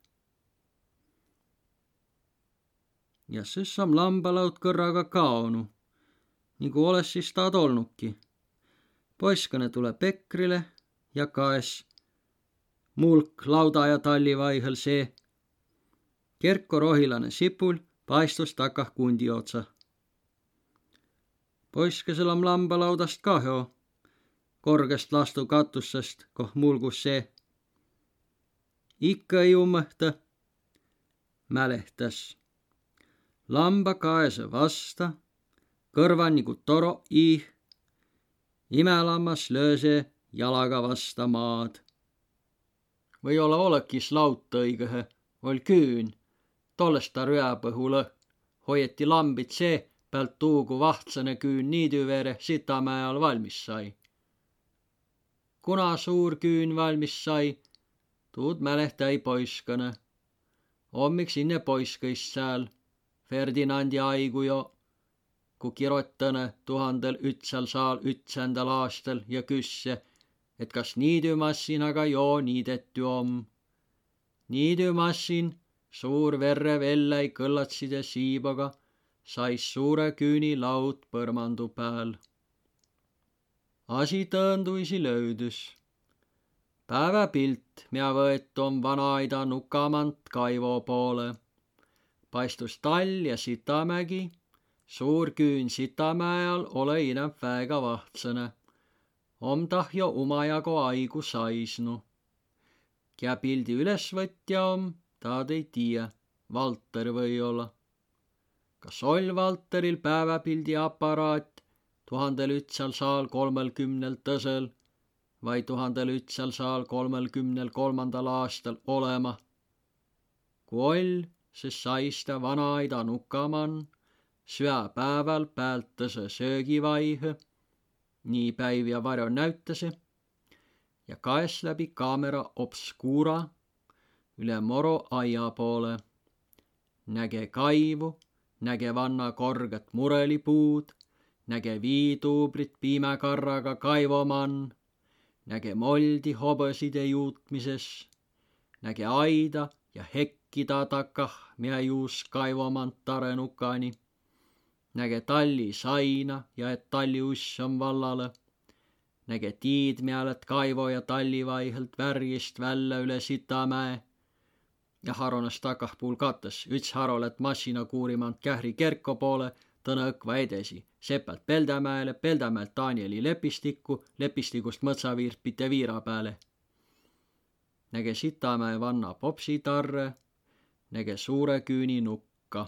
Ja sõs om lambalaud kõrraga kaonu, nigu olõssis taad olnuki. Poiskõnõ tulõ pekrile ja kaes mulk lauda ja talli vaihõl see. Kerko rohilanõ sipul paistus takah kundi otsa. Poiskasel om lambalaudast kahjo, korgest lastu katussest, koh mulgus see. Ikkõ ei ummõhtõ, mälehtäs. Lamba kaesõ vasta, kõrva nigu toro iih, imälammas lööse jalaga vasta maad. Või olõ olõkis laut õigõhe, oll' küün, tollesta rüäpõhulõ hoieti lambit see päält tuu, ku vahtsõnõ küün niidü veere Sitamäe all valmis sai. Kuna suur küün valmis sai, tuud mälehtä-i poiskõnõ. Om iks inne poiskõist sääl, Ferdinandi aigu jo, ku kirotanõ tuhandel ütsal saal ütsändäl aastal ja küsse, et kas niidümassinaga jo niidettü om. Niidümassin, suur verrev elläi kõllatside siibaga, sais suure küüni laud põrmandu pääl. Asi tõõnduisi löüdüs. Pääväpilt, mea võetu om vanaaida nukamant kaivo poole. Paistus tall ja Sitamägi, suur küün Sitamäe all olõ inämb väega vahtsõnõ. Om tah jo umajago aigu saisnu. Kiä pildi ülesvõtja om, taad ei tiiä, Valter või-olla. Kas oll' Valteril pääväpildi aparaat tuhandel ütsal saal kolmõlkümnel tõsõl vai tuhandel ütsal saal kolmõlkümnel kolmandal aastal olõma? Ku oll', sis sais tä vanaaida nuka man, süäpääväl päält tõsõ söögivaihõ, nii päiv ja varjo näütäse, ja kaes läbi kaamera obscura üle moro aia poole. Näge kaivu, näge vanna korgõt murõlipuud, näge viituubrit piimäkarraga kaivo man, näge moldi hobõside juutmises, näge aida ja hekki taa takah, mea juus kaivo man tarõ nukani. Näge talli saina ja et talli uss om vallalõ. Näge tiid, mea lät kaivo ja talli vaihõlt värjist vällä üle Sitamäe. Ja haronas takah puul kattas, üts haro lät massinakuuri mant Kähri kerko poole, tõnõ õkva edesi, seppält Peldämäele, Peldämäelt Danieli lepistikku, lepistigust Mõtsaviirpite viira pääle. Näge Sitamäe vanna popsitarre, näge suure küüni nukka.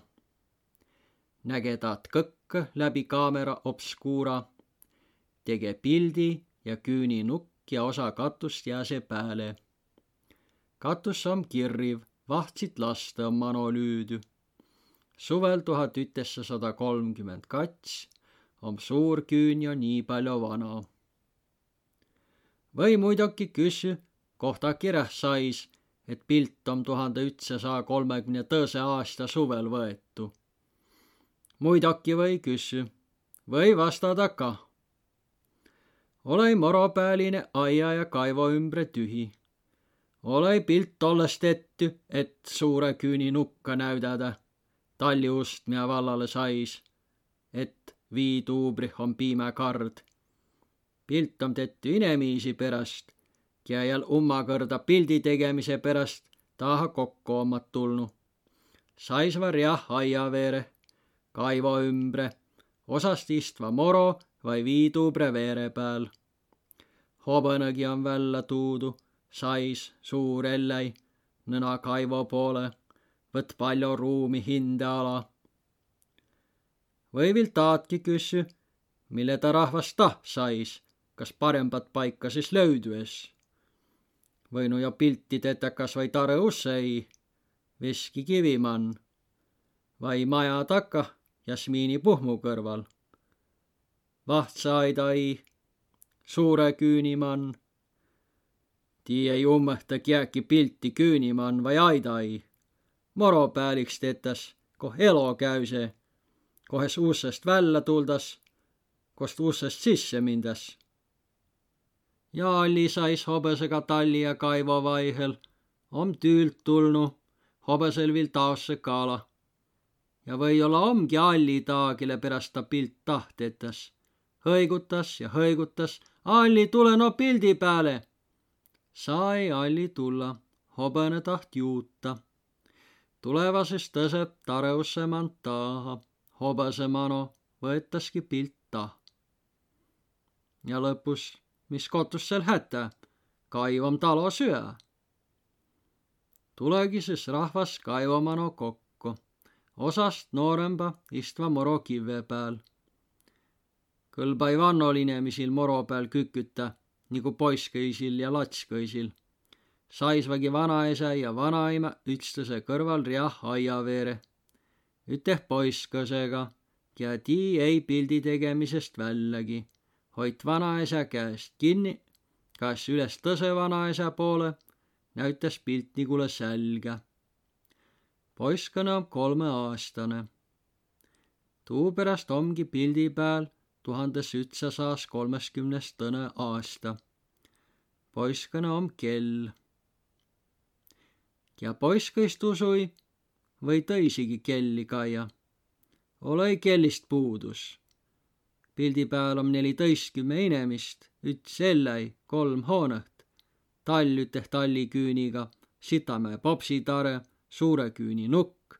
Näge taad kõkkõ läbi kaamera obscura, tege pildi ja küüni nukk ja osa katust jääse pääle. Katus om kirriv, vahtsit lastõ om mano lüüdü. Suvel tuhat üteksasada kolmkümmend kats om suur küün jo nii paljo vana. Või muidoki küssü, koh taa kiräh sais, et pilt om tuhande ütsasaa kolmekümne tõse aasta suvel võetu. Muidoki või küssü. Või vastada ka. Olõ-i moropääline aia ja kaivo ümbre tühi. Olõ-i pilt tollest tettü, et suure küüni nukka näüdädä. Talli ust, mea vallalõ sais. et viituubrih om piimäkard. Pilt om tettü inemiisi peräst, kiä jal ummakõrda pildi tegemise peräst taaha kokko ommat tulnu. Saisva riah aia veere, kaivo ümbre, osast istva moro vai viituubre veere pääl. Hobõnagi om vällä tuudu, sais, suur elläi, nõna kaivo poole, võt pallo ruumi hinde ala. Või vil taatki küssü, mille ta rahvas taht sais, kas parembat paika sis löüdü es. Võinu jo pilti tetä kas vai tarõ usse ii, veski kivi man, vai maja takka jasmiini puhmu kõrval. Vahtsaaida ii, suure küüni man. Tii ei ummõhta kiäki pilti küüni man vai aida ii. Moro pääl iks tetäs, koh elo käüse, kohes ussest vällä tuldas, kost ussest sisse mindäs. Ja alli sais hobõsega talli ja kaivo vaihõl om tüült tulnu, hobõsel vil taosse kala. Ja või-olla omgi alli taa, kelle peräst ta pilt taht tetäs. Hõigutas ja hõigutas: Alli, tulõ no pildi pääle! Saa-i alli tulla, hobõnõ taht juuta. Tuleva sis tõsõ tarõ usse man taaha, hobõse mano, võetaski pilt taht. Ja lõpus, mis kotus sel hätä, kaiv om talo süä. Tulõgi sis rahvas kaivo mano kokko. Osast noorõmba istva moro kivve pääl. Kõlb-ai vannol inemiisil moro pääl kükütä, nigu poiskõisil ja latskõisil. Saisvagi vanaesä ja vanaimä ütstõse kõrval riah aia veere. Üteh poiskõsega, kiä tii ei pildi tegemisest vällägi. Hoit vanaesä käest kinni, kaes üles tõsõ vanaesä poole, näütäs piltnigulõ sälgä. Poiskõnõ om kolmõaastanõ. Tuuperäst omgi pildi pääl tuhandõs ütsasaas kolmeskümnes tõnõ aasta. Poiskõnõ om kell. Ja poiskõist usu-i, või tõisigi kelli kaia. Olõ-i kellist puudus. Pildi pääl om nelitõistkümme inemist, üts elläi, kolm hoonõt. Tall üteh talliküüniga, Sitamäe popsitarõ, suurõ küüni nukk.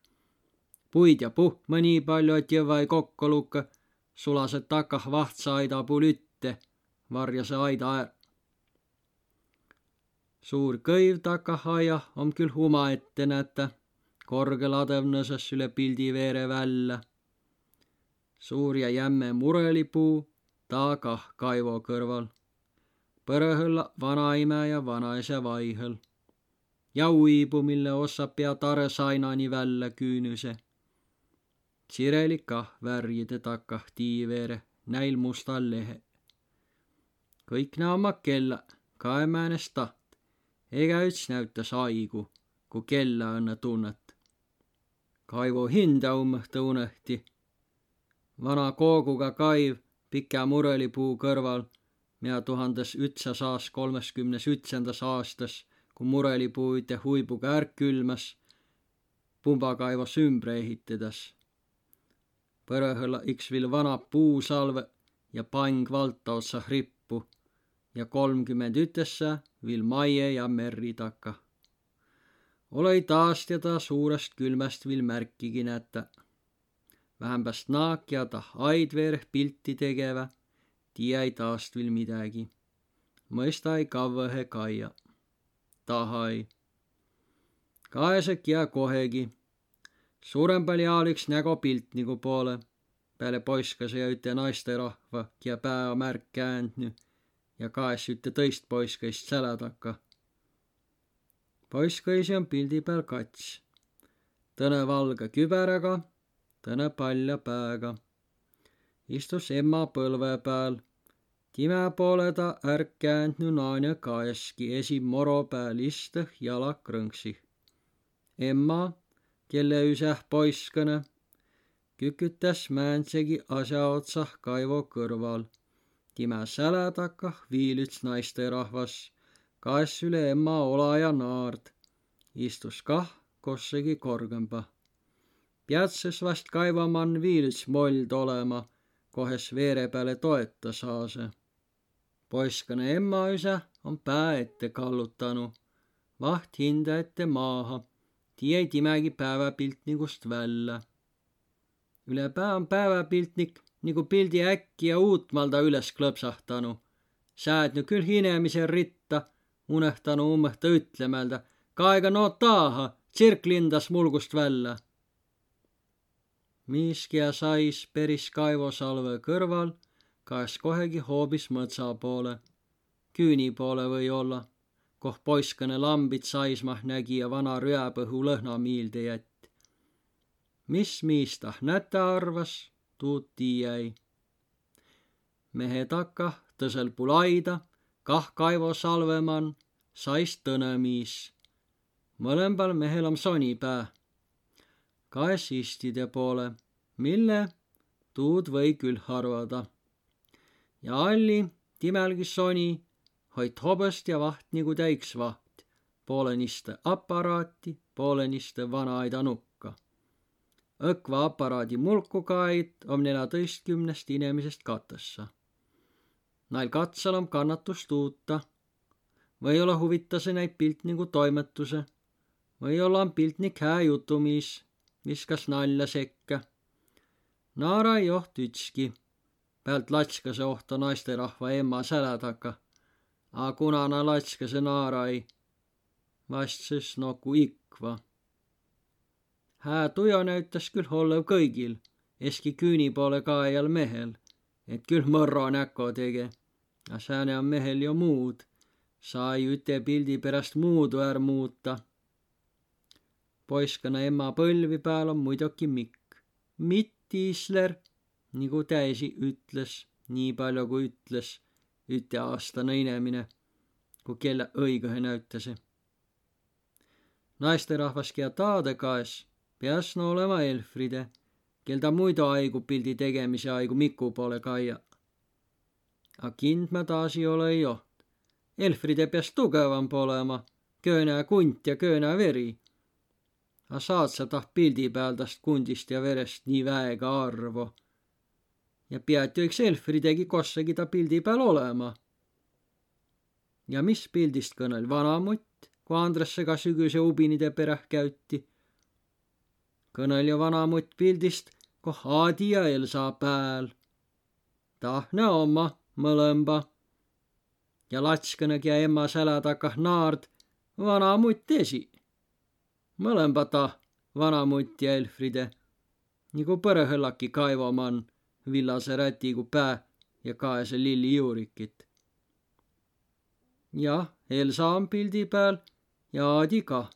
Puid ja puhkma nii pall'o, et jõvva-i kokko lukkõ, sulasõ takah vahtsaaida puul ütte, varjasõ aida är. Suur kõiv takah aiah om kül umaette nätä, korgõ ladõvnasas üle pildi veere vällä. Suur ja jämme murõlipuu, taa kah kaivo kõrval. Põrõhõlla vanaimä ja vanaesä vaihõl. Ja uibu, mille ossa pea tarõ sainani vällä küünüse. Tsirelik kah värjide takah tii veere, näil mustal lehe. Kõik nä omma kellä, kae määnest taht. Egäüts näütäs aigu, ku kellä õnnõ tunnat. Kaivo hindä ummõhtõ unehti. Vana kooguga kaiv pikä murõlipuu kõrval, mea tuhandõs ütsasaas kolmeskümnes ütsändas aastas, ku murõlipuu üteh uibuga ärr külmäs, pumbakaivos ümbre ehitedäs. Põrõhõlla iks vil vana puusalvõ ja pang valta otsah rippu ja kolmkümmend ütessä vil maie ja merri takah. Olõ-i taast ja taa suurast külmäst vil märkigi nätä. Vähämbäst naak ja tah aid veereh pilti tegevä, tiä-i taast vil midägi. Mõista-i kavvõhe kaia. Taha-i. Kaesõ, kiä kohegi. Suurõmbal jaol iks nägo piltnigu poolõ, pääle poiskase ja üte naistõrahva, kiä pää om ärr käändnü ja kaes ütte tõist poiskõist sälä takah. Poiskõisi om pildi pääl kats. Tõnõ valgõ kübäraga, tõnõ pallja pääga. Istus emma põlvõ pääl. Timä poolõ ta ärr käändnü naanõ kaesgi, esi moro pääl istõh, jala krõnksih. Emma, kelle üsäh poiskõnõ, kükütäs määndsegi as'a otsah kaivo kõrval. Timä sälä takah viil üts naistõrahvas, kaes üle emma ola ja naard. Istus kah kossegi korgõmba. Piatsses vast kaivoman viil üts mold olema, kohes veere pääle toeta saase. Poiskana emma üse om pää ette kallutanu. Vaht hindä ette maaha, tiiä ei timägi pääväpiltnigust vällä. Üle pää om pääväpiltnik nigu pildi äkki ja uutmalda üles klõpsahtanu. Säädnü kül inemise ritta, unehtanu ummõhta ütlemäldä: Kaega no taaha, tsirk lindas mulgust vällä. Miiski ja sais peris kaivosalve kõrval, kaes kohegi hoobis mõtsa poole. Küüni poole või olla, koh poiskane lambit saismah nägi ja vana rüäpõhu lõhna miilde jätt. Mis miis tah nätä arvas, tuud tiiä-i. Mehe takah, tõsel puul aida, kah kaivosalve man, sais tõnõ miis. Mõlembal mehel om soni pää. Kaes istide poole, mille, tuud või kül arvada. Ja alli timälgi soni, hoit hobõst ja vaht nigu täiks vaht, poolõniste aparaati, poolõniste vana aida nukka. Õkva aparaadi mulku kaet om nelätõistkümnest inemisest katõssa. Nail katsal om kannatus tuuta. Või-olla huvitase näid piltnigu toimetuse. Või-olla om piltnik hää jutumiis, viskas nalja sekkä. Naara-i oht ütski. Päält latskase ohto naisterahva emma sälä taka. A kuna na latskase naara-i, vastsõs noku ikva. Hää tujo näütäs kül ollõv kõigil, eski küüni poole kaejal mehel, et kül mõrro näko tege. A sääne om mehel jo muud, saa-i üte pildi peräst muudu är muuta. Poiskana emma põlvi pääl om muidoki mikk. Mittisler, nigu tä esi ütles, nii paljo ku ütles üteaastane inemine, ku kellä õigõhe näütase. Naisterahvas, kiä taadõ kaes, piäsnü olema Elfride, kel ta muido aigu pildi tegemise aigu miku poole kaia. A kindmä taasi olõ-i oht. Elfride piäs tugevamb olema, köönä kunt ja köönä veri. A saat sa taht pildi pääl tast kundist ja verest nii väega arvo? Ja piät jo iks Elfridegi kossagi ta pildi pääl olema. Ja mis pildist kõnõl vanamutt, ku Andressega sügüse ubinide peräh käüti? Kõnõl jo vanamutt pildist, koh Aadi ja Elsa pääl. Tah na omma, mõlõmba. Ja latskana, kiä emma sälä takah naard, vanamutt esi. Mõlõmba tah, vanamutt ja Elfride. Nigu põrõhõllaki kaivo man, villase rätigu pää ja kaese lilli juurikit. Jah, Elsa om pildi pääl ja Aadi kah.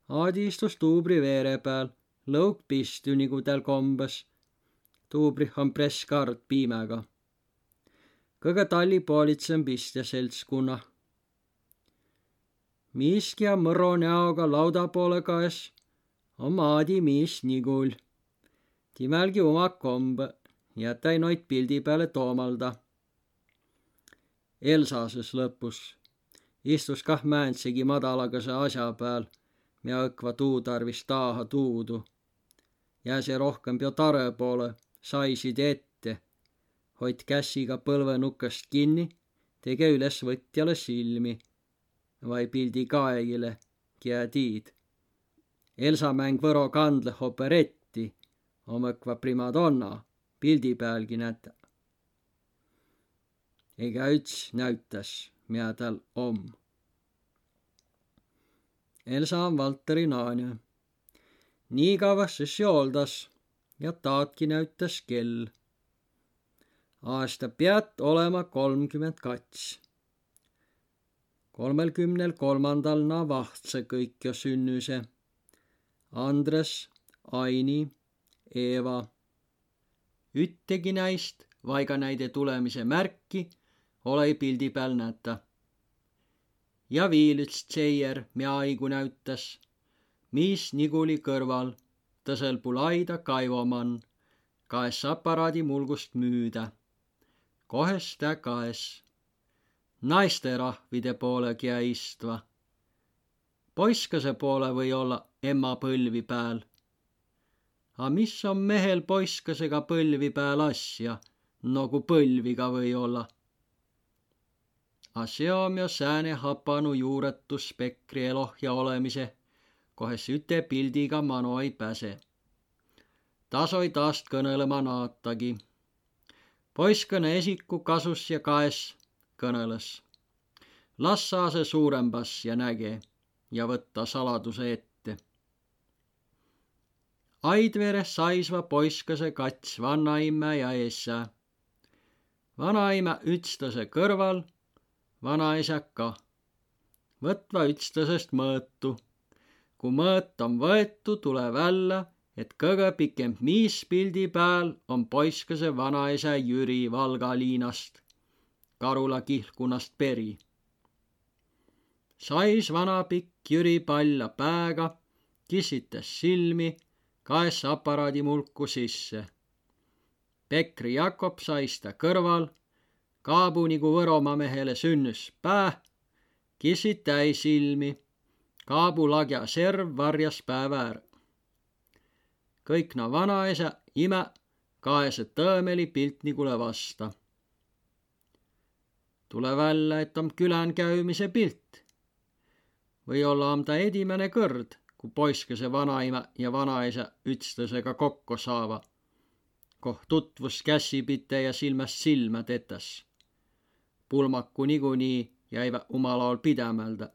Aadi istus tuubri veere pääl, lõug pistü, nigu tääl kombas. Tuubrih om press kard piimäga. Kõgõ talli poolitsõmb istja seltskunna. Miiski ja mõro näoga lauda poolõ kaes om Aadi miis Nigul. Timälgi uma kombõ, jätä-i noid pildi pääle toomalda. Elsa sys lõpus istus kah määndsegi madalagase asja pääl, mea õkva tuu tarvis taaha tuudu. Jääse rohkemb jo tarõ poolõ, saisid ette, hoit kässiga põlvõ nukast kinni, tege üles võtjale silmi vai pildi kaejile, kiä tiid. Elsa mäng Võro kandleh operetti, om õkva primadonna, pildi päälgi nätä. Egä üts näütäs, mea tääl om. Elsa om Valteri naanõ. Nii kavvas sys jooldas ja taadki näütäs kell. Aasta piät olema kolmkümmend kats. Kolmelkümnel kolmandal na vahtsõ kõik jo sünnüse. Andres, Aini, Eeva. Üttegi näist vai ka näide tulemise märki olõ-i pildi pääl nätä. Ja viil üts tseier, mea aigu näütäs, miis Niguli kõrval, tõsõl puul aida kaivo man, kaes aparaadi mulgust müüdä. Kohes tä kaes? Naisterahvide poolõ, kiä istva. Poiskase poolõ või olla emma põlvi pääl. A mis om mehel poiskasega põlvi pääl asja, no ku põlviga või olla? A seo om jo sääne hapanu juuretus Pekri eloh ja olemise, kohes üte pildiga mano ei päse. Tasoi taast kõnelema naatagi. Poiskõnõ esiku kasus ja kaes kõnelõs: Las saase suurembas ja näge ja võtta saladuse ette. Aidvere saisva poiskase kats vannaimmä ja esä. Vanaimä ütstase kõrval, vanaesä ka. Võtva ütstasest mõõtu. Ku mõõt om võetu, tule vällä, et kõgõ pikemb miis pildi pääl om poiskase vanaesä Jüri Valga liinast, Karula kihlkunnast peri. Sais vanapikk Jüri palla pääga, kisitäs silmi, kaes aparaadi mulku sisse. Pekri Jakob sais tä kõrval, kaabu nigu Võromaa mehele sünnüs pää, kisitäi silmi, kaabu lagja serv varjas pää väär. Kõik na vanaesä, imä kaese tõõmeli piltnigule vasta. Tule vällä, et om külän käümise pilt. Või olla om ta edimäne kõrd, ku poiskase vanaimä ja vanaesä ütstasega kokko saava, koh tutvus kässipite ja silmäst silmä tetäs. Pulmaku nigunii jäivä umal aol pidämäldä.